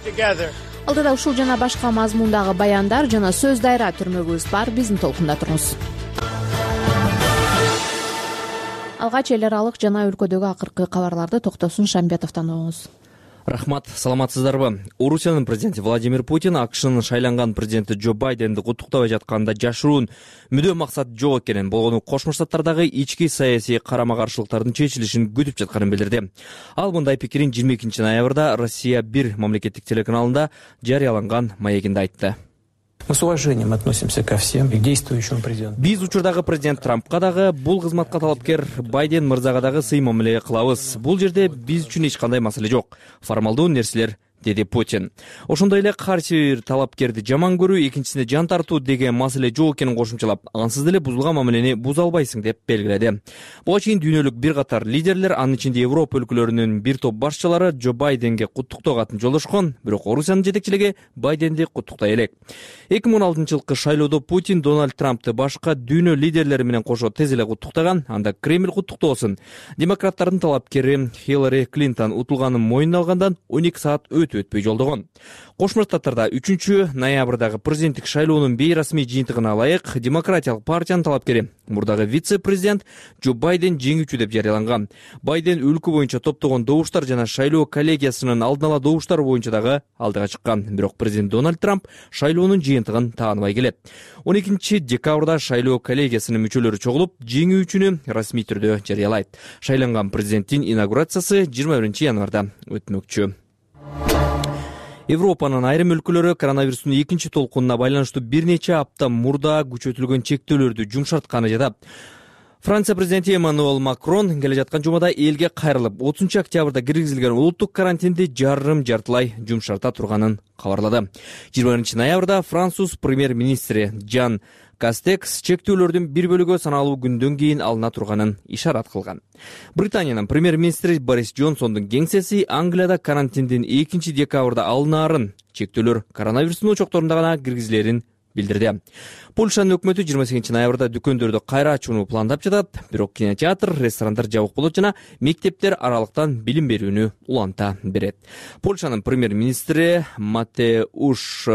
Speaker 1: Алдыда ушул жана башка мазмундагы баяндар жана сөз дайра түрмөгүбүз бар. Биздин толкунда туруңуз. Алгач эл аралык жана өлкөдөгү акыркы кабарларды Токтосун Шамбетовдон угуңуз.
Speaker 4: Рахмат, саламатсыздарбы? Орусиянын президенти Владимир Путин АКШнын шайланган президенти Джо Байденди куттуктабай жатканда жашыруун мүдөө максат жок экенин, болгону Кошмо Штаттардагы ички саясий карама-каршылыктардын чечилишин күтүп жатканын билдирди. Ал мындай пикирин жыйырма экинчи ноябрда Россия бир мамлекеттик телеканалында жарыяланган маегинде айтты.
Speaker 23: Мы с уважением относимся ко всем и к действующему президенту.
Speaker 4: Биз учурдагы президент Трампка дагы, бул кызматка талапкер Байден мырзага дагы сый мамиле кылабыз. Бул жерде биз үчүн эч кандай маселе жок. Формалдуу нерселер, деди Путин. Ошондой эле кайсы бир талапкерди жаман көрүү, экинчисине жан тартуу деген маселе жок экенин кошумчалап, ансыз деле бузулган мамилени буза албайсың деп белгиледи. Буга чейин дүйнөлүк бир катар лидерлер, анын ичинде Европа өлкөлөрүнүн бир топ башчылары Джо Байденге куттуктоо катын жолдошкон, бирок Орусиянын жетекчилиги Байденди куттуктай элек. эки миң он алтынчы жылкы шайлоодо Путин Дональд Трампты башка дүйнө лидерлери менен кошо тез эле куттуктаган, анда Кремль куттуктоосун. Демократтардын талапкери Хиллари Клинтон утулганын мойнуна алгандан он эки саат өтпөй жолдогон. Кошмо Штаттарда үчүнчү ноябрдагы президенттик шайлоонун бейрасмий жыйынтыгына ылайык Демократиялык партиянын талапкери, мурдагы вице-президент Джо Байден жеңүүчү деп жарыяланган. Байден өлкө боюнча топтогон добуштар жана шайлоо коллегиясынын алдын ала добуштары боюнча дагы алдыга чыккан. Бирок президент Дональд Трамп шайлоонун жыйынтыгын тааныбай келет. он экинчи декабрда шайлоо коллегиясынын мүчөлөрү чогулуп, жеңүүчүнү расмий түрдө жарыялайт. Шайланган президенттин инаугурациясы жыйырма биринчи январда өтмөкчү. Европанын айрым өлкөлөрү коронавирустун экинчи толкунуна байланыштуу бир нече апта мурда күчөтүлгөн чектөөлөрдү жумшартканы жатат. Франция президенти Эммануэль Макрон келе жаткан жумада элге кайрылып, отузунчу октябрда киргизилген улуттук карантинди жарым жартылай жумшарта турганын кабарлады. жыйырма биринчи ноябрда француз премьер-министри Жан Кастекс чектөөлөрдүн бир бөлүгү саналуу күндөн кийин алына турганын ишарат кылган. Британиянын премьер-министри Борис Джонсондун кеңсеси Англияда карантиндин экинчи декабрда алынаарын, чектөөлөр коронавирустун очокторунда гана киргизилерин билдирди. Польшанын өкмөтү жыйырма сегизинчи ноябрда дүкөндөрдү кайра ачууну пландап жатат, бирок кинотеатр, ресторандар жабык болот жана мектептер аралыктан билим берүүнү уланта берет. Польшанын премьер-министри Матеуш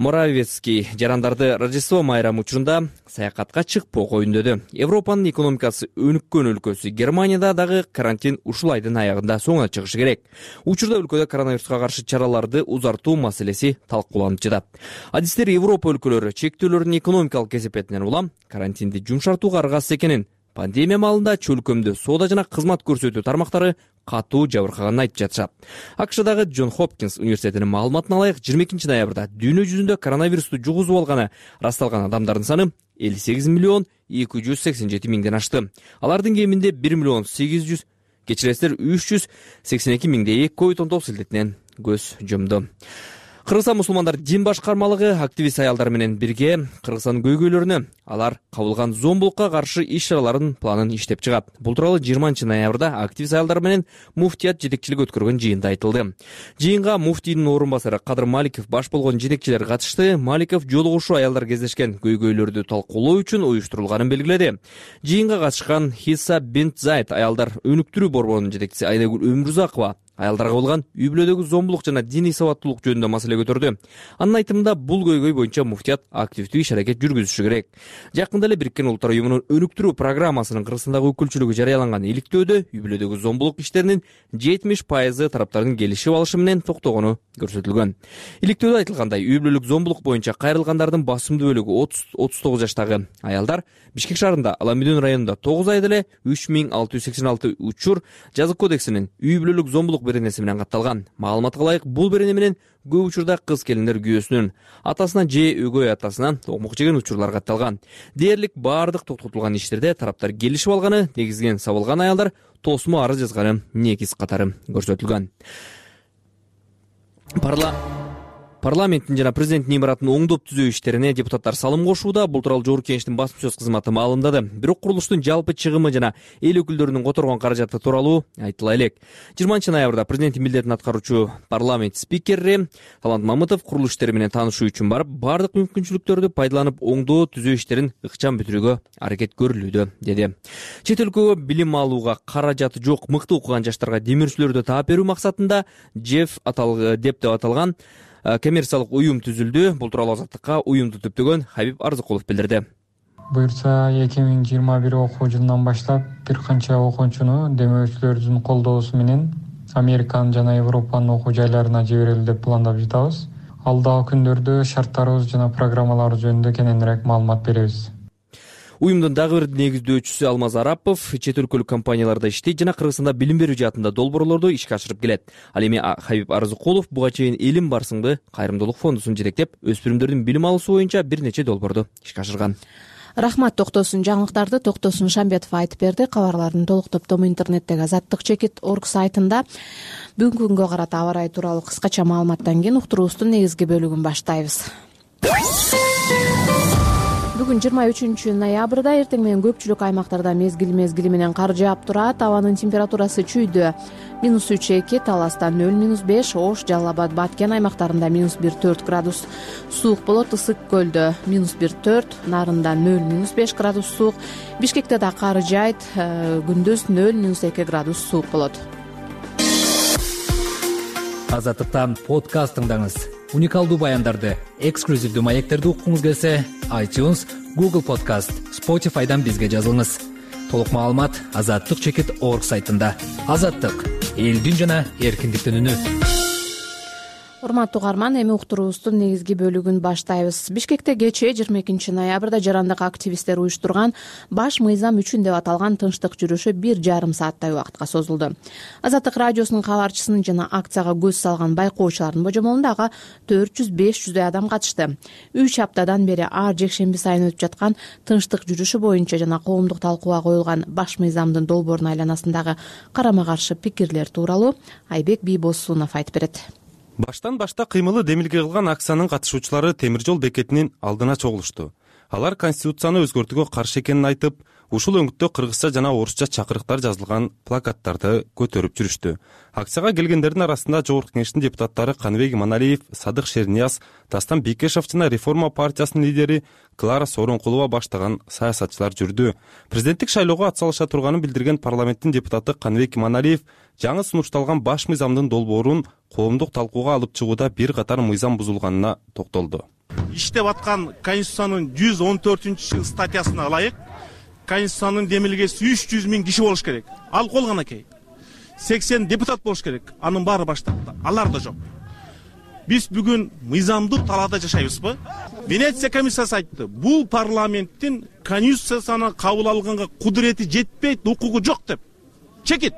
Speaker 4: Моравецкий жарандарды Рождество майрамы учурунда саякатка чыкпоого үндөдү. Европанын экономикасы өнүккөн өлкөсү Германияда дагы карантин ушул айдын аягында соңуна чыгышы керек. Учурда өлкөдө коронавируска каршы чараларды узартуу маселеси талкууланып жатат. Адистер Европа өлкөлөрү чектөөлөрдүн экономикалык кесепетинен улам карантинди жумшартууга аргасыз экенин, пандемия маалында чөлкөмдө соода жана кызмат көрсөтүү тармактары катуу жабыркаганын айтып жатышат. АКШдагы Джон Хопкинс университетинин маалыматына ылайык жыйырма экинчи ноябрда дүйнө жүзүндө коронавирусту жугузуп алганы расталган адамдардын саны элүү сегиз миллион эки жүз сексен жети миңден ашты. Алардын кеминде бир миллион сегиз жүз кечиресиздер үч жүз сексен эки миңдейи ковид он тогуз илдетинен көз жумду. Кыргызстан мусулмандар дин башкармалыгы активист аялдар менен бирге Кыргызстан көйгөйлөрүнө алар кабылган зомбулукка каршы иш-чаралардын планын иштеп чыгат. Бул тууралуу жыйырманчы ноябрда активист аялдар менен муфтият жетекчилик өткөргөн жыйында айтылды. Жыйынга муфтийдин орун басары Кадыр Маликов баш болгон жетекчилер катышты. Маликов жолугушуу аялдар кездешкен көйгөйлөрдү талкуулоо үчүн уюштурулганын белгиледи. Жыйынга катышкан Хисса бинт Зайд аялдар өнүктүрүү борборунун жетекчиси Айнагүл Өмүрзакова аялдарга болгон үй бүлөдөгү зомбулук жана диний сабаттуулук жөнүндө маселе көтөрдү. Анын айтымында бул көйгөй боюнча муфтият активдүү иш-аракет жүргүзүшү керек. Жакында эле Бириккен Улуттар уюмунун өнүктүрүү программасынын Кыргызстандагы өкүлчүлүгү жарыяланган иликтөөдө үй бүлөдөгү зомбулук иштеринин жетимиш пайызы тараптардын келишип алышы менен токтогону көрсөтүлгөн. Иликтөөдө айтылгандай, үй бүлөлүк зомбулук боюнча кайрылгандардын басымдуу бөлүгү отуз отуз тогуз жаштагы аялдар. Бишкек шаарында Аламүдүн районунда тогуз айда эле үч миң алты жүз сексен алты учур жазык кодексинин үй бүлөлүк зомбулук беренеси менен катталган. Маалыматка ылайык, бул берене менен көп учурда кыз келиндер күйөөсүнүн атасынан же өгөй атасынан токмок жеген учурлар катталган. Дээрлик баардык токтотулган иштерде тараптар келишип алганы, негизинен сабылган аялдар тосмо арыз жазганы негиз катары көрсөтүлгөн. Парла Парламенттин жана президенттин имаратын оңдоп түзөө иштерине депутаттар салым кошууда. Бул тууралуу Жогорку Кеңештин басма сөз кызматы маалымдады. Бирок курулуштун жалпы чыгымы жана эл өкүлдөрүнүн которгон каражаты тууралуу айтыла элек. жыйырманчы ноябрда президенттин милдетин аткаруучу парламент спикери Талант Мамытов курулуш иштери менен таанышуу үчүн барып, бардык мүмкүнчүлүктөрдү пайдаланып оңдоо түзөө иштерин ыкчам бүтүрүүгө аракет көрүлүүдө, деди. Чет өлкөгө билим алууга каражаты жок мыкты окуган жаштарга демирчүлөрдү таап берүү максатында Жеф аталган деп деп аталган коммерциялык уюм түзүлдү. Бул тууралуу Азаттыкка уюмду түптөгөн Хабиб Арзыкулов билдирди.
Speaker 2: Буюрса эки миң жыйырма бир окуу жылынан баштап бир канча окуучуну демөөрчүлөрдүн колдоосу менен Американын жана Европанын окуу жайларына жиберели деп пландап жатабыз. Алдагы күндөрдө шарттарыбыз жана программалар жөнүндө кененирээк маалымат беребиз.
Speaker 4: Уюмдун дагы бир негиздөөчүсү Алмаз Арапов чет өлкөлүк компанияларда иштейт жана Кыргызстанда билим берүү жаатында долбоорлорду ишке ашырып келет. Ал эми Хабиб Арзыкулов буга чейин Элим Барсыңды кайрымдуулук фондусун жетектеп, өспүрүмдөрдүн билим алуусу боюнча бир нече долбоорду ишке ашырган.
Speaker 1: Рахмат. Токтосун жаңылыктарды Токтосун Шамбетов айтып берди. Кабарлардын толук топтому интернеттеги азаттык чекит точка орг сайтында. Бүгүнкү күнгө карата аба ырайы тууралуу кыскача маалыматтан кийин уктуруубуздун негизги бөлүгүн баштайбыз. Бүгүн жыйырма үчүнчү ноябрда эртең менен көпчүлүк аймактарда мезгил мезгили менен кар жаап турат. Абанын температурасы чүйдө минус үч эки, Таласта нөл минус беш, Ош, Жалал Абад, Баткен аймактарында минус бир төрт градус суук болот. Ысык көлдө минус бир төрт, Нарында нөл минус беш градус суук. Бишкекте да кар жайт, күндүз нөл минус эки градус суук болот.
Speaker 5: Азаттыктан подкаст тыңдаңыз. Уникалдуу баяндарды, эксклюзивдүү маектерди уккуңуз келсе, iTunes, Google Podcast, Spotify'дан бизге жазылыңыз. Толук маалымат азаттык чекит точка орг сайтында. Азаттык — элдин жана эркиндиктин үнү.
Speaker 1: Урматтуу угарман, эми уктуруубуздун негизги бөлүгүн баштайбыз. Бишкекте кечээ жыйырма экинчи ноябрда жарандык активисттер уюштурган баш мыйзам үчүн деп аталган тынчтык жүрүшү бир жарым сааттай убакытка созулду. Азаттык радиосунун кабарчысынын жана акцияга көз салган байкоочулардын божомолунда ага төрт жүз беш жүздөй адам катышты. Үч аптадан бери ар жекшемби сайын өтүп жаткан тынчтык жүрүшү боюнча жана коомдук талкууга коюлган баш мыйзамдын долбоорунун айланасындагы карама каршы пикирлер тууралуу Айбек Бийбосунов айтып берет.
Speaker 22: Баштан башта кыймылы демилге кылган акциянын катышуучулары темир жол бекетинин алдына чогулушту. Алар конституцияны өзгөртүүгө каршы экенин айтып, ушул өңүттө кыргызча жана орусча чакырыктар жазылган плакаттарды көтөрүп жүрүштү. Акцияга келгендердин арасында Жогорку Кеңештин депутаттары Каныбек Иманалиев, Садык Шернияз, Дастан Бекешев жана Реформа партиясынын лидери Клара Сооронкулова баштаган саясатчылар жүрдү. Президенттик шайлоого атсалыша турганын билдирген парламенттин депутаты Каныбек Иманалиев жаңы сунушталган баш мыйзамдын долбоорун коомдук талкууга алып чыгууда бир катар мыйзам бузулганына токтолду.
Speaker 21: иштеп аткан Конституциянын жүз он төртүнчү статьясына ылайык Конституциянын демилгеси үч жүз миң киши болуш керек. Ал колганакей сексен депутат болуш керек. Анын баары баштапта. Алар да жок. Биз бүгүн мыйзамдуу талаада жашайбызбы? Венеция комиссиясы айтты. Бул парламенттин Конституцияны кабыл алганга кудурети жетпейт, укугу жок деп. Чекит.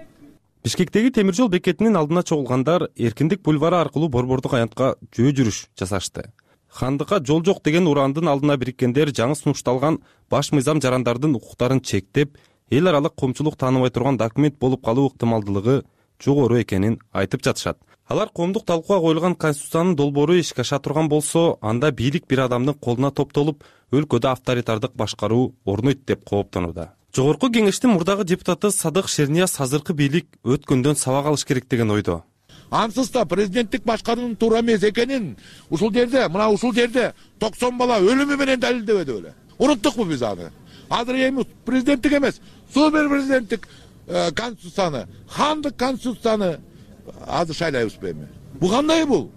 Speaker 22: Бишкектеги темир жол бекетинин алдына чогулгандар Эркиндик бульвары аркылуу Борбордук аянтка жөө жүрүш жасашты. Хандыкка жол жок деген урандын алдына бириккендер жаңы сунушталган баш мыйзам жарандардын укуктарын чектеп, эл аралык коомчулук тааныбай турган документ болуп калуу ыктымалдуулугу жогору экенин айтып жатышат. Алар коомдук талкууга коюлган Конституциянын долбоору ишке аша турган болсо, анда бийлик бир адамдын колуна топтолуп, өлкөдө авторитардык башкаруу орнойт деп кооптонууда. Жогорку кеңештин мурдагы депутаты Садык Шернияз азыркы бийлик өткөндөн сабак алыш керек деген ойдо.
Speaker 8: Ансыз да президенттик башкаруунун туура эмес экенин ушул жерде, мына ушул жерде токсон бала өлүмү менен далилдебеди беле. Уnuттукпу биз аны? Азыр эми президенттик эмес, супер президенттик конституцияны, хандык конституцияны азыр шайлайбызбы эми? Бу кандай бул?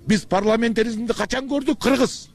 Speaker 8: Биз парламентаризмди качан көрдүк? Кыргыз.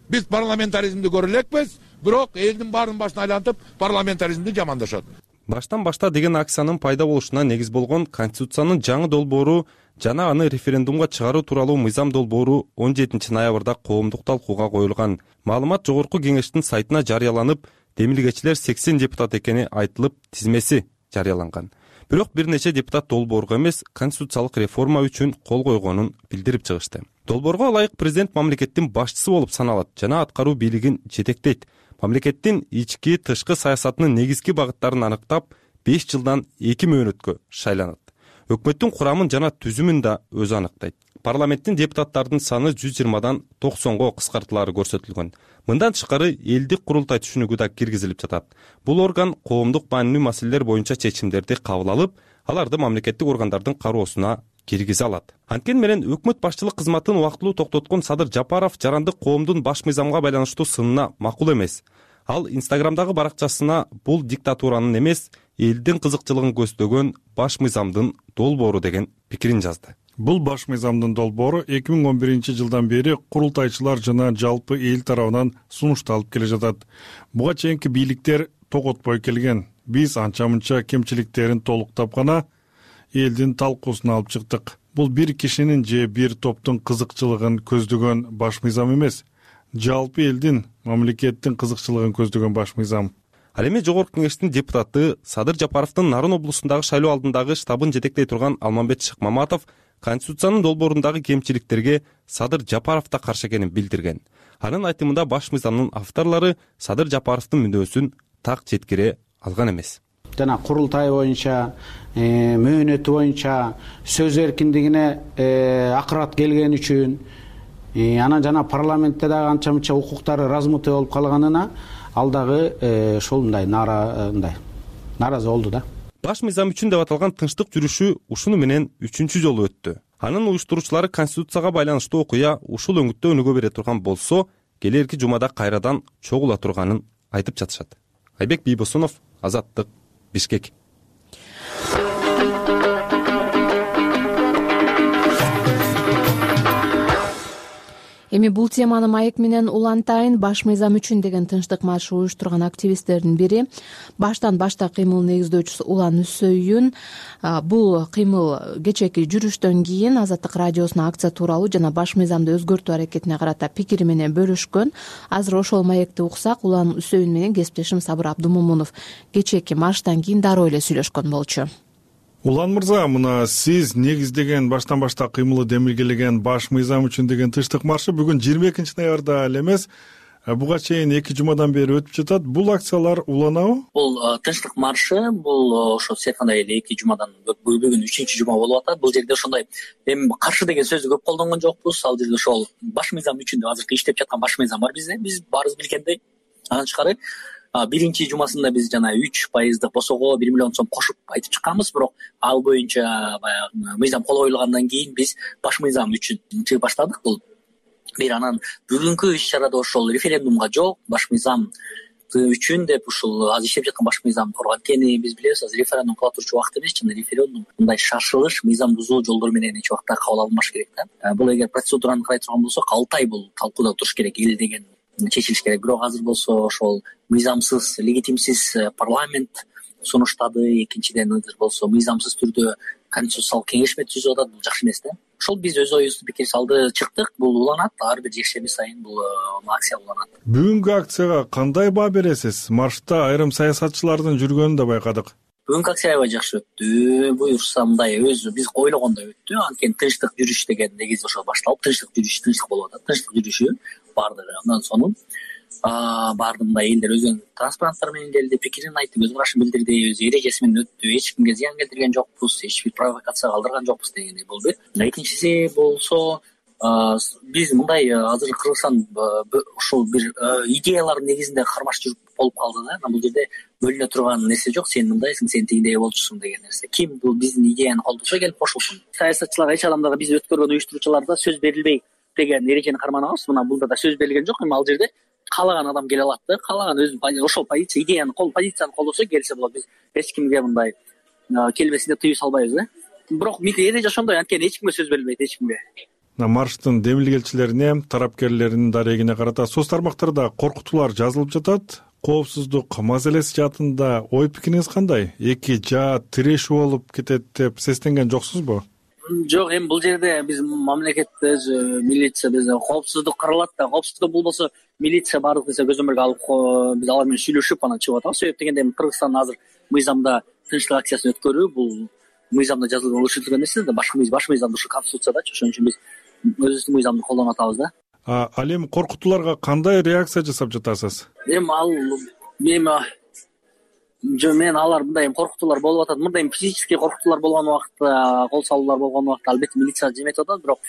Speaker 8: Биз парламентаризмди көрө элекпиз, бирок элдин баарын башына айлантып парламентаризмди жамандашат.
Speaker 22: Баштан башта деген акциянын пайда болушуна негиз болгон Конституциянын жаңы долбоору жана аны референдумга чыгаруу тууралуу мыйзам долбоору он жетинчи ноябрда коомдук талкууга коюлган. Маалымат жогорку кеңештин сайтына жарыяланып, демилгечилер сексен депутат экени айтылып, тизмеси жарыяланган. Бирок бир нече депутат долбоорго эмес, конституциялык реформа үчүн кол койгонун билдирип чыгышты. Долбоорго ылайык президент мамлекеттин башчысы болуп саналат жана аткаруу бийлигин жетектейт. Мамлекеттин ички тышкы саясатынын негизги багыттарын аныктап, беш жылдан эки мөөнөткө шайланат. Өкмөттүн курамын жана түзүмүн да өзү аныктайт. Парламенттин депутаттарынын саны жүз жыйырмадан токсонго кыскартылары көрсөтүлгөн. Мындан тышкары элдик курултай түшүнүгү да киргизилип жатат. Бул орган коомдук маанилүү маселелер боюнча чечимдерди кабыл алып, аларды мамлекеттик органдардын кароосуна киргизе алат. Анткени менен өкмөт башчылык кызматын убактылуу токтоткон Садыр Жапаров жарандык коомдун баш мыйзамга байланыштуу сынына макул эмес. Ал Инстаграмдагы баракчасына бул диктатуранын эмес, элдин кызыкчылыгын көздөгөн баш мыйзамдын долбоору деген пикирин жазды.
Speaker 9: Бул баш мыйзамдын долбоору эки миң он биринчи жылдан бери курултайчылар жана жалпы эл тарабынан сунушталып келе жатат. Буга чейинки бийликтер тоготпой келген. Биз анча-мынча кемчиликтерин толуктап гана элдин талкуусуна алып чыктык. Бул бир кишинин же бир топтун кызыкчылыгын көздөгөн баш мыйзам эмес, жалпы элдин, мамлекеттин кызыкчылыгын көздөгөн баш мыйзам.
Speaker 22: Ал эми жогорку кеңештин депутаты Садыр Жапаровдун Нарын облусундагы шайлоо алдындагы штабын жетектей турган Алмамбет Шыкмаматов Конституциянын долбоорундагы кемчиликтерге Садыр Жапаров да каршы экенин билдирген. Анын айтымында баш мыйзамдын авторлору Садыр Жапаровдун мүнөөсүн так жеткире алган эмес.
Speaker 10: Жана курултай боюнча, мөөнөтү боюнча сөз эркиндигине акырат келген үчүн, анан жана парламентте дагы анча-мынча укуктары размытый болуп калганына ал дагы ошолундай нааразы болду да.
Speaker 22: Баш мыйзам үчүн деп аталган тынчтык жүрүшү ушуну менен үчүнчү жолу өттү. Анын уюштуруучулары Конституцияга байланыштуу окуя ушул өңүттө өнүгө бере турган болсо, келерки жумада кайрадан чогула турганын айтып жатышат. Айбек Бийбосунов, Азаттык, Бишкек.
Speaker 1: Эми бул теманы маек менен улантайын. Баш мыйзам үчүн деген тынчтык маршы уюштурган активисттердин бири баштан башта кыймыл негиздөөчүсү Улан Үсөйүн бул кыймыл кечээки жүрүштөн кийин Азаттык радиосуна акция тууралуу жана баш мыйзамды өзгөртүү аракетине карата пикири менен бөлүшкөн. Азыр ошол маекти уксак. Улан Үсөйүн менен кесиптешим Сабыр Абдумомунов кечээки марштан кийин дароо эле сүйлөшкөн болчу.
Speaker 9: Улан мырза, мына сиз негиздеген баштан башта кыймылы демилгелеген баш мыйзам үчүн деген тынчтык маршы бүгүн жыйырма экинчи ноябрда эле эмес, буга чейин эки жумадан бери өтүп жатат. Бул акциялар уланабы?
Speaker 24: Бул тынчтык маршы бул ошо сиз айткандай эле эки жумадан бүгүн үчүнчү жума болуп атат. Бул жерде ошондой эми каршы деген сөздү көп колдонгон жокпуз. Ал жерде ошол баш мыйзам үчүн деп азыркы иштеп жаткан баш мыйзам бар бизде. Биз баарыбыз билгендей, анан тышкары биринчи жумасында биз жана үч пайыздык босого бир миллион сом кошуп айтып чыкканбыз, бирок ал боюнча баягы мыйзам кол коюлгандан кийин биз баш мыйзам үчүн чыгып баштадык. Бул бир анан бүгүнкү иш чарада ошол референдумга жок, баш мыйзам үчүн деп ушул азыр иштеп жаткан башкы мыйзамды коргон. Анткени биз билебиз, азыр референдум кыла турчу убакыт эмес, жана референдум мындай шашылыш, мыйзам бузуу жолдор менен эч убакта кабыл алынбаш керек да. Бул эгер процедураны карай турган болсок, алты ай бул талкууда туруш керек, эл деген чечилиш керек. Бирок азыр болсо ошол мыйзамсыз, легитимсиз парламент сунуштады. Экинчиден азыр болсо мыйзамсыз түрдө конституциялык кеңешме түзүп атат. Бул жакшы эмес да. Ошол биз өз оюбузду пикир салды, чыктык. Бул уланат, ар бир жекшемби сайын бул акция уланат.
Speaker 9: Бүгүнкү акцияга кандай баа бересиз? Маршрутта айрым саясатчылардын жүргөнүн да байкадык.
Speaker 24: Бүгүнкү акция аябай жакшы өттү. Буюрса мындай өзү биз ойлогондой өттү. Анткени тынчтык жүрүш деген негизи ошол башталып, тынчтык жүрүш, тынчтык болуп атат. Тынчтык жүрүшү бардыгы. Андан соң баарды мындай элдер өзүнүн транспаранттары менен келди, пикирин айтты, өз карашын билдирди, өз эрежеси менен өттү. Эч кимге зыян келтирген жокпуз, эч бир провокация калтырган жокпуз дегендей бул бир. Экинчиси болсо биз мындай азыр Кыргызстан ушул бир идеялардын негизинде кармаш жүрүп болуп калды да. Бул жерде бөлүнө турган нерсе жок. Сен мындайсың, сен тигиндей болчусуң деген нерсе. Ким бул биздин идеяны колдошо келип кошулсун. Саясатчылар, эч адамдарга биз өткөргөн уюштуруучуларда сөз берилбей деген эрежени карманабыз. Мына булда да сөз берилген жок. Эми ал жерде каалаган адам келе алат да, каалаган өзүнүн ошол позиция, идеяны кол позицияны колдосо келсе болот. Биз эч кимге мындай келбесин деп тыюу салбайбыз да. Бирок эреже ошондой, анткени эч кимге сөз берилбейт, эч кимге.
Speaker 9: Марштын демилгелчилерине, тарапкерлеринин дарегине карата соц тармактарда коркутуулар жазылып жатат. Коопсуздук маселеси жаатында ой пикириңиз кандай? Эки жаат тирешүү болуп кетет деп сестенген жоксузбу?
Speaker 24: Жок, эми бул жерде биз мамлекетте милиция, биз коопсуздук каралат да, коопсуздук болбосо милиция баардык нерсе көзөмөлгө алып, биз алар менен сүйлөшүп анан чыгып атабыз. Себеп дегенде Кыргызстан азыр мыйзамда тынчтык акциясын өткөрүү, бул мыйзамда жазылган, өлчөтүлгөн нерсе да, башкы баш мыйзамда ушу конституциядачы. Ошон үчүн биз өзүбүздүн мыйзамды колдонуп атабыз да.
Speaker 9: Ал эми коркутууларга кандай реакция жасап жатасыз?
Speaker 24: Эми ал эми жо мен алар мындай коркутуулар болуп атат. Мындай физический коркутуулар болгон убакта, кол салуулар болгон убакта албетте милиция жеметип атат. Бирок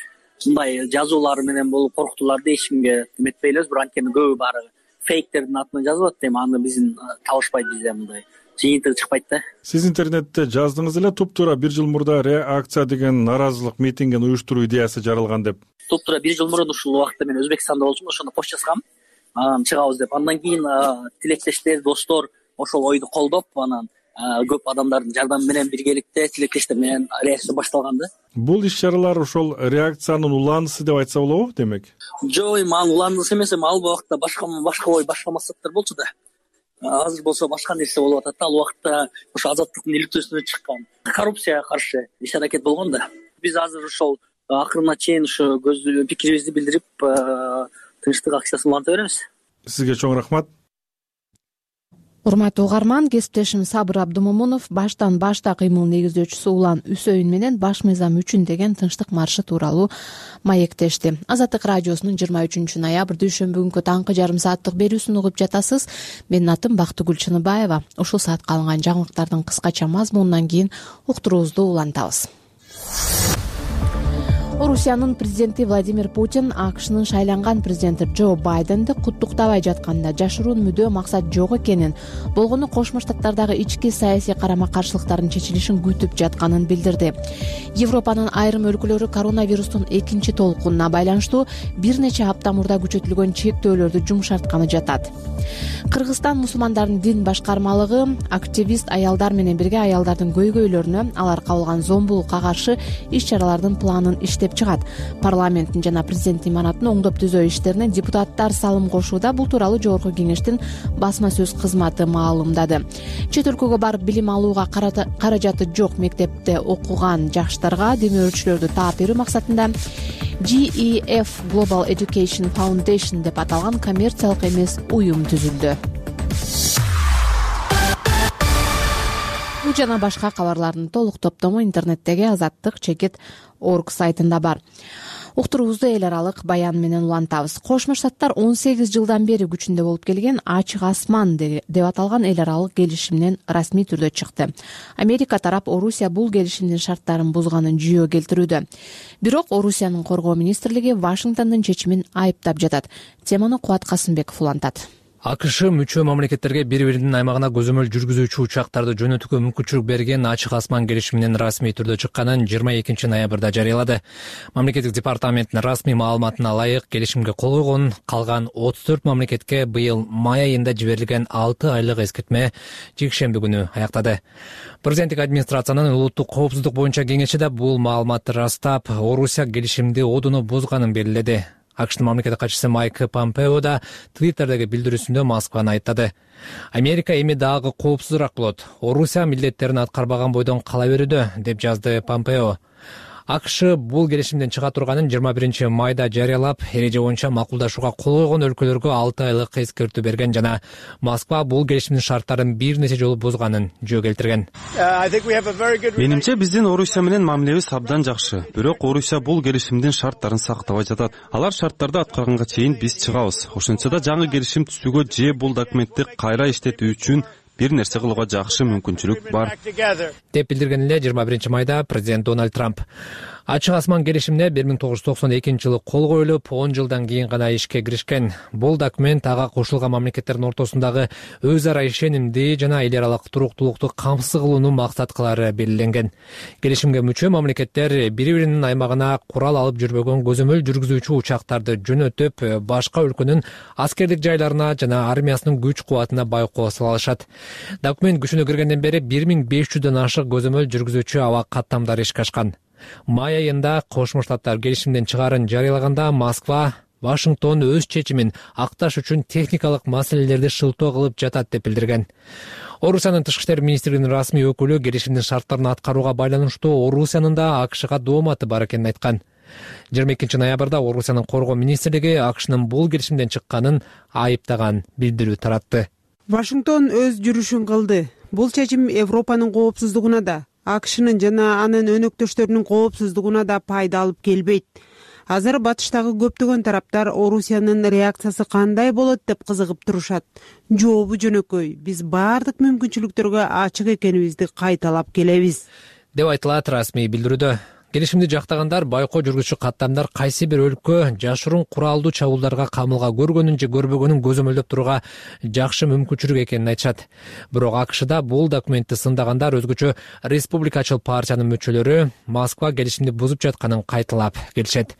Speaker 24: мындай жазуулар менен болуп коркутууларды эч кимге эметпейлибиз. Бирок анткени көбү баары фейктердин атынан жазып атат. Эми аны биздин табышпайт, бизде мындай жыйынтыгы чыкпайт да.
Speaker 9: Сиз интернетте жаздыңыз эле, туп-туура бир жыл мурда реакция деген наразылык митингин уюштуруу идеясы жаралган деп.
Speaker 24: Туп-туура бир жыл мурун ушул убакытта мен Өзбекстанда болчумун, ошондо пост жазгам, анан чыгабыз деп. Андан кийин тилектештер, достор ошол ойду колдоп, анан көп адамдардын жардамы менен биргеликте тилектештер менен реакция башталган да.
Speaker 9: Бул иш-чаралар ошол реакциянын улаанысы деп айтса болобу, демек?
Speaker 24: Жок, эми ал улаанысы эмес, эми ал убакта башка башка ой, башка максаттар болчу да. Азыр болсо башка нерсе болуп атат да. Ал убакта ошо азаттыктын иликтөөсүнө чыккан коррупцияга каршы иш-аракет болгон да. Биз азыр ошол акырына чейин ошо көз пикирибизди билдирип, тынчтык акциясын уланта беребиз.
Speaker 9: Сизге чоң рахмат.
Speaker 1: Урматтуу угарман, кесиптешим Сабыр Абдымомунов баштан башта кыймыл негиздөөчүсү Улан Үсөйүн менен баш мыйзам үчүн деген тынчтык маршы тууралуу маектешти. Азаттык радиосунун жыйырма үчүнчү ноябрь дүйшөмбү күнкү таңкы жарым сааттык берүүсүн угуп жатасыз. Менин атым Бактыгүл Чыныбаева. Ушул саатка алынган жаңылыктардын кыскача мазмунунан кийин уктуруубузду улантабыз. Орусиянын президенти Владимир Путин АКШнын шайланган президенти Джо Байденди куттуктабай жатканда жашыруун мүдөө максат жок экенин, болгону Кошмо Штаттардагы ички саясий карама-каршылыктардын чечилишин күтүп жатканын билдирди. Европанын айрым өлкөлөрү коронавирустун экинчи толкунуна байланыштуу бир нече апта мурда күчөтүлгөн чектөөлөрдү жумшартканы жатат. Кыргызстан мусулмандардын дин башкармалыгы активист аялдар менен бирге аялдардын көйгөйлөрүнө, алар кабылган зомбулукка каршы иш-чаралардын планын иштеп чыгат. Парламенттин жана президенттин имаратын оңдоп түзөө иштерине депутаттар салым кошууда. Бул тууралуу Жогорку Кеңештин басма сөз кызматы маалымдады. Чет өлкөгө барып билим алууга каражаты жок мектепте окуган жаштарга демөөрчүлөрдү таап берүү максатында G E F Global Education Foundation деп аталган коммерциялык эмес уюм түзүлдү. Бул жана башка кабарлардын толук топтому интернеттеги азаттык чекит орг сайтында бар. Уктуруубузду эл аралык баян менен улантабыз. Кошмо Штаттар он сегиз жылдан бери күчүндө болуп келген Ачык асман деп аталган эл аралык келишимден расмий түрдө чыкты. Америка тарап Орусия бул келишимдин шарттарын бузганын жүйө келтирүүдө. Бирок Орусиянын коргоо министрлиги Вашингтондун чечимин айыптап жатат. Теманы Кубат Касымбеков улантат.
Speaker 5: акш мүчө мамлекеттерге бири биринин аймагына көзөмөл жүргүзүүчү учактарды жөнөтүүгө мүмкүнчүлүк берген ачык асман келишиминин расмий түрдө чыкканын жыйырма экинчи ноябрда жарыялады. Мамлекеттик департаменттин расмий маалыматына ылайык келишимге кол койгон калган отуз төрт мамлекетке быйыл май айында жиберилген алты айлык эскертме жекшемби күнү аяктады. Президенттик администрациянын улуттук коопсуздук боюнча кеңеши да бул маалыматты ырастап, Орусия келишимди одуну бузганын белгиледи. акштын мамлекеттик катчысы Майк Помпео да Твиттердеги билдирүүсүндө Москваны айыптады. Америка эми дагы коопсузураак болот. Орусия милдеттерин аткарбаган бойдон кала берүүдө, деп жазды Помпео. акш бул келишимден чыга турганын жыйырма биринчи майда жарыялап, эреже боюнча макулдашууга кол койгон өлкөлөргө алты айлык эскертүү берген жана Москва бул келишимдин шарттарын бир нече жолу бузганын жөө келтирген.
Speaker 22: Менимче биздин Орусия менен мамилебиз абдан жакшы. Бирок Орусия бул келишимдин шарттарын сактабай жатат. Алар шарттарды аткарганга чейин биз чыгабыз. Ошентсе да жаңы келишим түзүүгө же бул документти кайра иштетүү үчүн бир нерсе кылууга жакшы мүмкүнчүлүк бар,
Speaker 5: деп билдирген эле жыйырма биринчи майда президент Дональд Трамп. Ачык асман келишимине бир миң тогуз жүз токсон экинчи жылы кол коюлуп, он жылдан кийин гана ишке киришкен. Бул документ ага кошулган мамлекеттердин ортосундагы өз ара ишенимди жана эл аралык туруктуулукту камсыз кылууну максат кылары белгиленген. Келишимге мүчө мамлекеттер бири биринин аймагына курал алып жүрбөгөн көзөмөл жүргүзүүчү учактарды жөнөтүп, башка өлкөнүн аскердик жайларына жана армиясынын күч кубатына байкоо сала алышат. Документ күчүнө киргенден бери бир миң беш жүздөн ашык көзөмөл жүргүзүүчү аба каттамдары ишке ашкан. Май айында Кошмо Штаттар келишимден чыгаарын жарыялаганда Москва Вашингтон өз чечимин акташ үчүн техникалык маселелерди шылтоо кылып жатат деп билдирген. Орусиянын тышкы иштер министрлигинин расмий өкүлү келишимдин шарттарын аткарууга байланыштуу Орусиянын да акшга дооматы бар экенин айткан. жыйырма экинчи ноябрда Орусиянын коргоо министрлиги акшнын бул келишимден чыкканын айыптаган билдирүү таратты.
Speaker 3: Вашингтон өз жүрүшүн кылды. Бул чечим Европанын коопсуздугуна да, акшнын жана анын өнөктөштөрүнүн коопсуздугуна да пайда алып келбейт. Азыр батыштагы көптөгөн тараптар Орусиянын реакциясы кандай болот деп кызыгып турушат. Жообу жөнөкөй. Биз баардык мүмкүнчүлүктөргө ачык экенибизди кайталап келебиз,
Speaker 5: деп айтылат расмий билдирүүдө. Келишимди жактагандар байкоо жүргүзүүчү каттамдар кайсы бир өлкө жашыруун куралдуу чабуулдарга камылга көргөнүн же көрбөгөнүн көзөмөлдөп турууга жакшы мүмкүнчүлүк экенин айтышат. Бирок акшда бул документти сындагандар, өзгөчө республикачыл партиянын мүчөлөрү Москва келишимди бузуп жатканын кайталап келишет.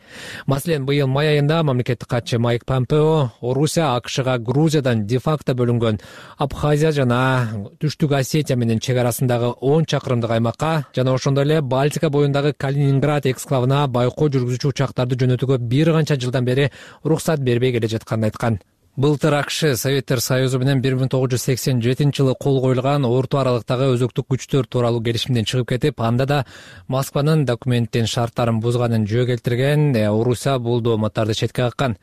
Speaker 5: Маселен, быйыл май айында мамлекеттик катчы Майк Помпео Орусия акшга Грузиядан де-факто бөлүнгөн Абхазия жана Түштүк Осетия менен чек арасындагы он чакырымдык аймакка жана ошондой эле Балтика боюндагы Калининград эксклавына байкоо жүргүзүүчү учактарды жөнөтүүгө бир канча жылдан бери уруксат бербей келе жатканын айткан. Былтыр акш Советтер Союзу менен бир миң тогуз жүз сексен жетинчи жылы кол коюлган орто аралыктагы өзөктүк күчтөр тууралуу келишимден чыгып кетип, анда да Москванын документтин шарттарын бузганын жөө келтирген. Орусия бул дооматтарды четке каккан.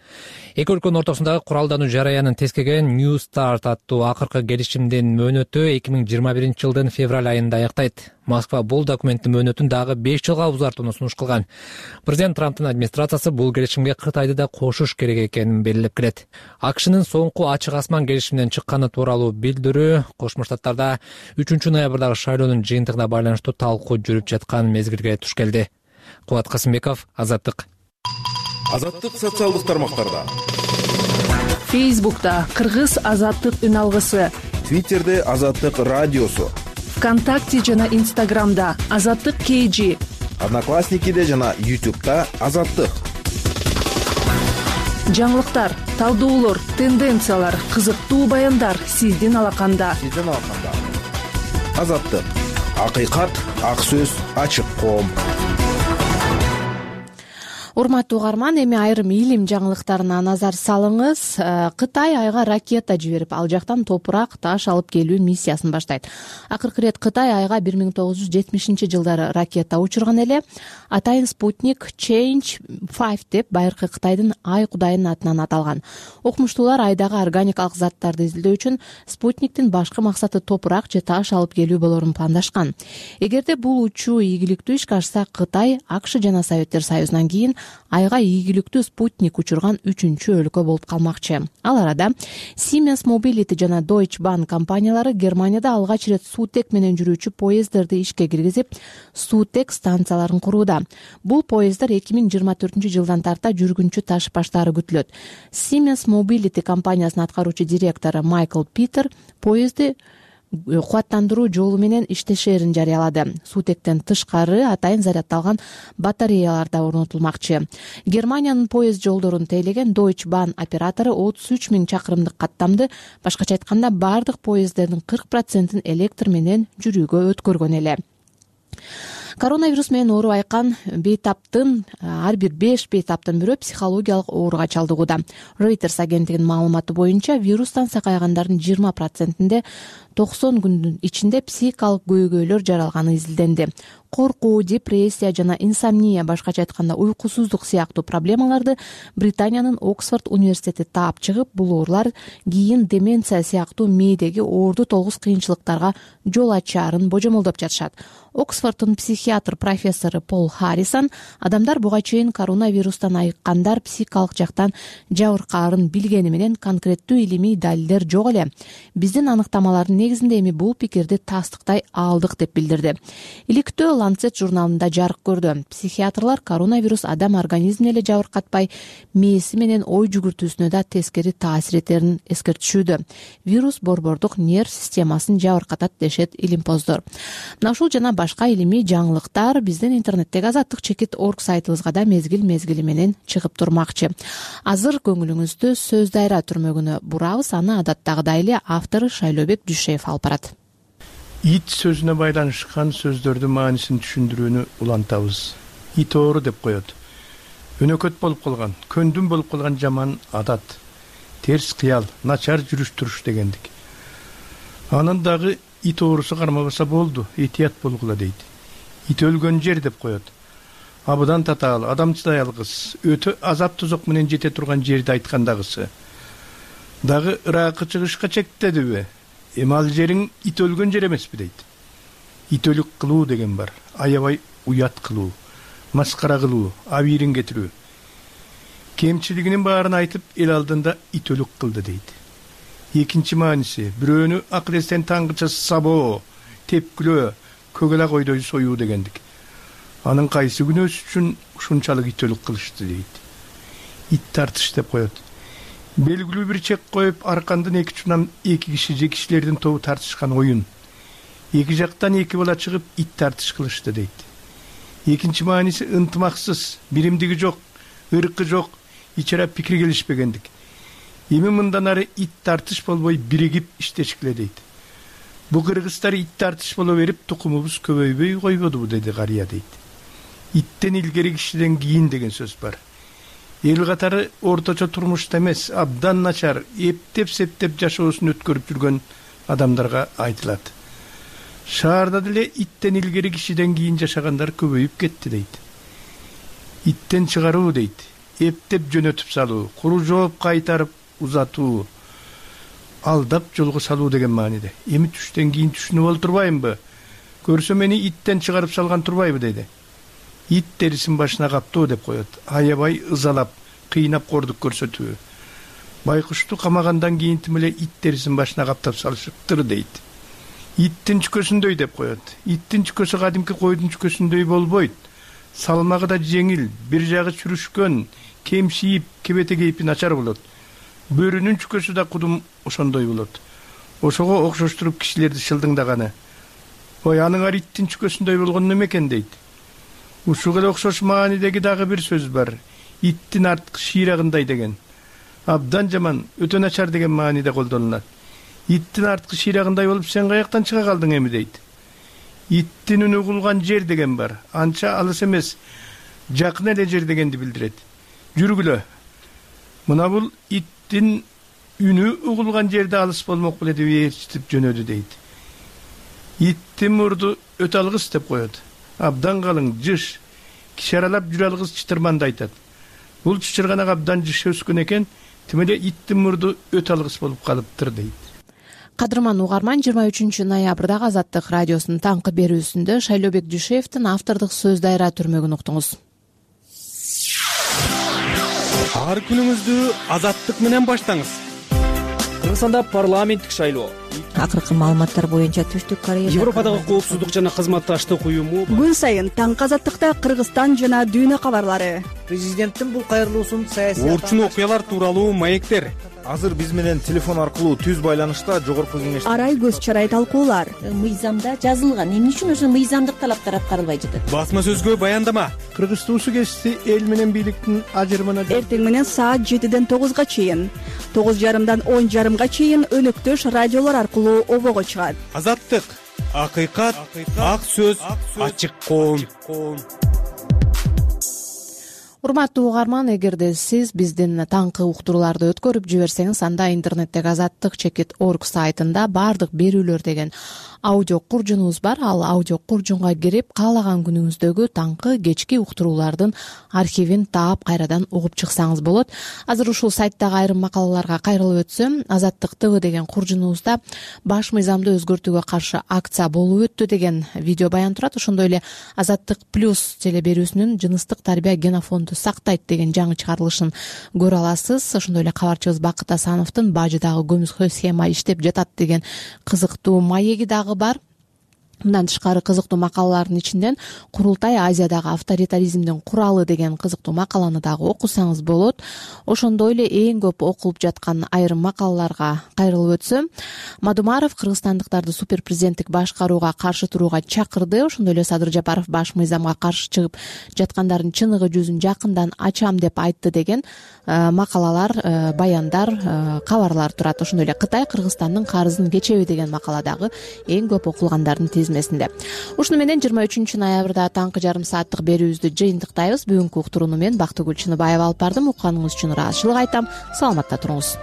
Speaker 5: Эки өлкөнүн ортосундагы куралдануу жараянын тескеген New Start аттуу акыркы келишимдин мөөнөтү эки миң жыйырма биринчи жылдын февраль айында аяктайт. Москва бул документтин мөөнөтүн дагы беш жылга узартууну сунуш кылган. Президент Трамптын администрациясы бул келишимге Кытайды да кошуш керек экенин белгилеп келет. акшнын соңку ачык асман келишиминен чыкканы тууралуу билдирүү Кошмо Штаттарда үчүнчү ноябрдагы шайлоонун жыйынтыгына байланыштуу талкуу жүрүп жаткан мезгилге туш келди. Кубат Касымбеков, Азаттык.
Speaker 7: Азаттык социалдык тармактарда.
Speaker 1: Фейсбукта Кыргыз Азаттык үн алгысы,
Speaker 7: Твиттерде Азаттык радиосу,
Speaker 1: ВКонтакте жана Инстаграмда Азаттык кей жи,
Speaker 7: Одноклассникиде жана Ютубта Азаттык.
Speaker 1: Жаңылыктар, талдоолор, тенденциялар, кызыктуу баяндар сиздин алаканда.
Speaker 7: Сиздин алаканда. Азаттык. Акыйкат, ак сөз, ачык коом.
Speaker 1: Урматтуу угарман, эми айрым илим жаңылыктарына назар салыңыз. Кытай айга ракета жиберип, ал жактан топурак, таш алып келүү миссиясын баштайт. Акыркы ирет Кытай айга бир миң тогуз жүз жетимишинчи жылдары ракета учурган эле. Атайын спутник Change пять деп байыркы Кытайдын ай кудайынын атынан аталган. Окумуштуулар айдагы органикалык заттарды изилдөө үчүн спутниктин башкы максаты топурак же таш алып келүү болорун пландашкан. Эгерде бул учуу ийгиликтүү ишке ашса, Кытай акш жана Советтер Союзунан кийин айга ийгиликтүү спутник учурган үчүнчү өлкө болуп калмакчы. Ал арада Siemens Mobility жана Deutsche Bahn компаниялары Германияда алгач ирет суутек менен жүрүүчү поезддерди ишке киргизип, суутек станцияларын курууда. Бул поезддар эки миң жыйырма төртүнчү жылдан тарта жүргүнчү ташып баштаары күтүлөт. Siemens Mobility компаниясынын аткаруучу директору Майкл Питер поезди кубаттандыруу жолу менен иштешерин жарыялады. Суутектен тышкары атайын заряддалган батареялар да орнотулмакчы. Германиянын поезд жолдорун тейлеген Deutsche Bahn оператору отуз үч миң чакырымдык каттамды, башкача айтканда бардык поезддердин кырк процентин электр менен жүрүүгө өткөргөн эле. Коронавирус менен ооруп айкан бейтаптын ар бир беш бейтаптын бирөө психологиялык ооруга чалдыгууда. Reuters агенттигинин маалыматы боюнча вирустан сакайгандардын жыйырма процентинде токсон күндүн ичинде психикалык көйгөйлөр жаралганы изилденди. Коркуу, депрессия жана инсомния, башкача айтканда уйкусуздук сыяктуу проблемаларды Британиянын Оксфорд университети таап чыгып, бул оорулар кийин деменция сыяктуу мээдеги оорду толгус кыйынчылыктарга жол ачаарын божомолдоп жатышат. Оксфорддун психиатр профессору Пол Харрисон адамдар буга чейин коронавирустан айыккандар психикалык жактан жабыркаарын билгени менен конкреттүү илимий далилдер жок эле. Биздин аныктамалардын негизинде эми бул пикирди тастыктай алдык деп билдирди. Иликтөө Lancet журналында жарык көрдү. Психиатрлар коронавирус адам организмине эле жабыркатпай, мээси менен ой жүгүртүүсүнө да тескери таасир этерин эскертишүүдө. Вирус борбордук нерв системасын жабыркатат дешет илимпоздор. Мына ушул жана башка илимий жаңылыктар биздин интернеттеги азаттык чекит точка орг сайтыбызга да мезгил-мезгили менен чыгып турмакчы. Азыр көңүлүңүздү сөз дайра түрмөгүнө бурабыз, аны адаттагыдай эле автору Шайлообек Дүйшеев алып барат.
Speaker 11: Ит сөзүнө байланышкан сөздөрдүн маанисин түшүндүрүүнү улантабыз. Ит оору деп коет. Өнөкөт болуп калган, көндүм болуп калган жаман адат, терс кыял, начар жүрүш-туруш дегендик. Анын дагы ит оорусу кармабаса болду, этият болгула дейт. Ит өлгөн жер деп коет. Абыдан татаал, адам чыдай алгыс, өтө азап тозок менен жете турган жерди айткандагысы. Дагы ыракы чыгышка чектедиби? Эми ал жериң ит өлгөн жер эмеспи дейт. Ит өлүк кылуу деген бар. Аябай уят кылуу, маскара кылуу, абийирин кетирүү. Кемчилигинин баарын айтып, эл алдында ит өлүк кылды дейт. Экинчи мааниси, бирөөнү акыл эстен таңгыча сабоо, тепкилөө, көгөлак ойдой союу дегендик. Анын кайсы күнөөсү үчүн ушунчалык ит өлүк кылышты дейт. Ит тартыш деп коет. Белгилүү бир чек коюп, аркандын эки чунан эки киши же кишилердин тобу тартышкан оюн. Эки жактан эки бала чыгып, ит тартыш кылышты дейт. Экинчи мааниси ынтымаксыз, биримдиги жок, ыркы жок, ичара пикир келишпегендик. Эми мындан ары ит тартыш болбой биригип иштешкиле дейт. Бу кыргыздар ит тартыш боло берип, тукумубуз көбөйбөй койбодубу деди карыя дейт. Иттен илгери кишиден кийин деген сөз бар. Эл катары орточо турмушта эмес, абдан начар, эптеп-септеп жашоосун өткөрүп жүргөн адамдарга айтылат. Шаарда деле иттен илгери кишиден кийин жашагандар көбөйүп кетти дейт. Иттен чыгаруу дейт, эптеп жөнөтүп салуу, куру жооп кайтарып узатуу, алдап жолго салуу деген мааниде. Эми түштөн кийин түшүнүп олтурбаймынбы? Көрсө мени иттен чыгарып салган турбайбы деди. Ит терисин башына каптоо деп коет. Аябай ызалап, кыйнап кордук көрсөтүү. Байкушту камагандан кийин тим эле ит терисин башына каптап салышыптыр дейт. Иттин чүкөсүндөй деп коет. Иттин чүкөсү кадимки койдун чүкөсүндөй болбойт. Салмагы да жеңил, бир жагы чүрүшкөн, кемшиип, кебете кейпи начар болот. Бөрүнүн чүкөсү да кудум ошондой болот. Ошого окшоштуруп кишилерди шылдыңдаганы. Ой, аныңар иттин чүкөсүндөй болгон неме экен дейт. Ушуга эле окшош маанидеги дагы бир сөз бар. Иттин арткы шыйрагындай деген. Абдан жаман, өтө начар деген мааниде колдонулат. Иттин арткы шыйрагындай болуп сен каяктан чыга калдың эми дейт. Иттин үнү угулган жер деген бар. Анча алыс эмес, жакын эле жер дегенди билдирет. Жүргүлө. Мына бул иттин үнү угулган жерде алыс болмок беле деп ээрчитип жөнөдү дейт. Иттин мурду өтө алгыс деп коет. Абдан калың, жыш, киши аралап жүрө алгыс чытырманды айтат. Бул чычырганак абдан жыш өскөн экен, тим эле иттин мурду өтө алгыс болуп калыптыр дейт.
Speaker 1: Кадырман угарман, жыйырма үчүнчү ноябрдагы Азаттык радиосунун таңкы берүүсүндө Шайлообек Дүйшеевдин автордук сөз дайра түрмөгүн уктуңуз.
Speaker 22: ар күнүңүздү азаттык менен баштаңыз.
Speaker 4: Кыргызстанда парламенттик шайлоо.
Speaker 12: Акыркы маалыматтар боюнча Түштүк Корея
Speaker 13: Европадагы коопсуздук жана кызматташтык уюму
Speaker 12: күн сайын таңкы азаттыкта Кыргызстан жана дүйнө кабарлары.
Speaker 14: Президенттин бул кайрылуусун саясий
Speaker 22: Орчун окуялар тууралуу маектер.
Speaker 14: Азыр биз менен телефон аркылуу түз байланышта жогорку кеңеш
Speaker 12: Арай көз чарай талкуулар.
Speaker 15: Мыйзамда жазылган, эмне үчүн ошо мыйзамдык талаптар аткарылбай жатат?
Speaker 22: Басма сөзгө баяндама.
Speaker 11: Кыргыз туусу кесиси эл менен бийликтин ажырымына
Speaker 12: Эртең менен саат жетиден тогузга чейин, тогуз жарымдан он жарымга чейин өнөктөш радиолор аркылуу обого чыгат.
Speaker 22: Азаттык, акыйкат, ак сөз, ачык коом.
Speaker 1: Урматтуу угарман, эгерде сиз биздин таңкы уктурууларды өткөрүп жиберсеңиз, анда интернеттеги азаттык чекит орг сайтында баардык берүүлөр деген аудио куржунубуз бар. Ал аудио куржунга кирип, каалаган күнүңүздөгү таңкы кечки уктуруулардын архивин таап кайрадан угуп чыксаңыз болот. Азыр ушул сайттагы айрым макалаларга кайрылып өтсөм, Азаттык ТВ деген куржунубузда баш мыйзамды өзгөртүүгө каршы акция болуп өттү деген видео баян турат. Ошондой эле Азаттык плюс теле берүүсүнүн жыныстык тарбия генофонду сактайт деген жаңы чыгарылышын көрө аласыз. Ошондой эле кабарчыбыз Бакыт Асановдун бажыдагы көмүскө схема иштеп жатат деген кызыктуу маеги дагы бар. Мындан тышкары кызыктуу макалалардын ичинен Курултай Азиядагы авторитаризмдин куралы деген кызыктуу макаланы дагы окусаңыз болот. Ошондой эле эң көп окулуп жаткан айрым макалаларга кайрылып өтсөм, Мадумаров кыргызстандыктарды супер президенттик башкарууга каршы турууга чакырды. Ошондой эле Садыр Жапаров баш мыйзамга каршы чыгып жаткандардын чыныгы жүзүн жакындан ачам деп айтты деген макалалар, баяндар, кабарлар турат. Ошондой эле Кытай Кыргызстандын карызын кечеби деген макала дагы эң көп окулгандардын тизмесинде. Ушуну менен жыйырма үчүнчү ноябрда таңкы жарым сааттык берүүбүздү жыйынтыктайбыз. Бүгүнкү уктурууну мен Бактыгүл Чыныбаева алып бардым. Укканыңыз үчүн ыраазычылык айтам. Саламатта туруңуз.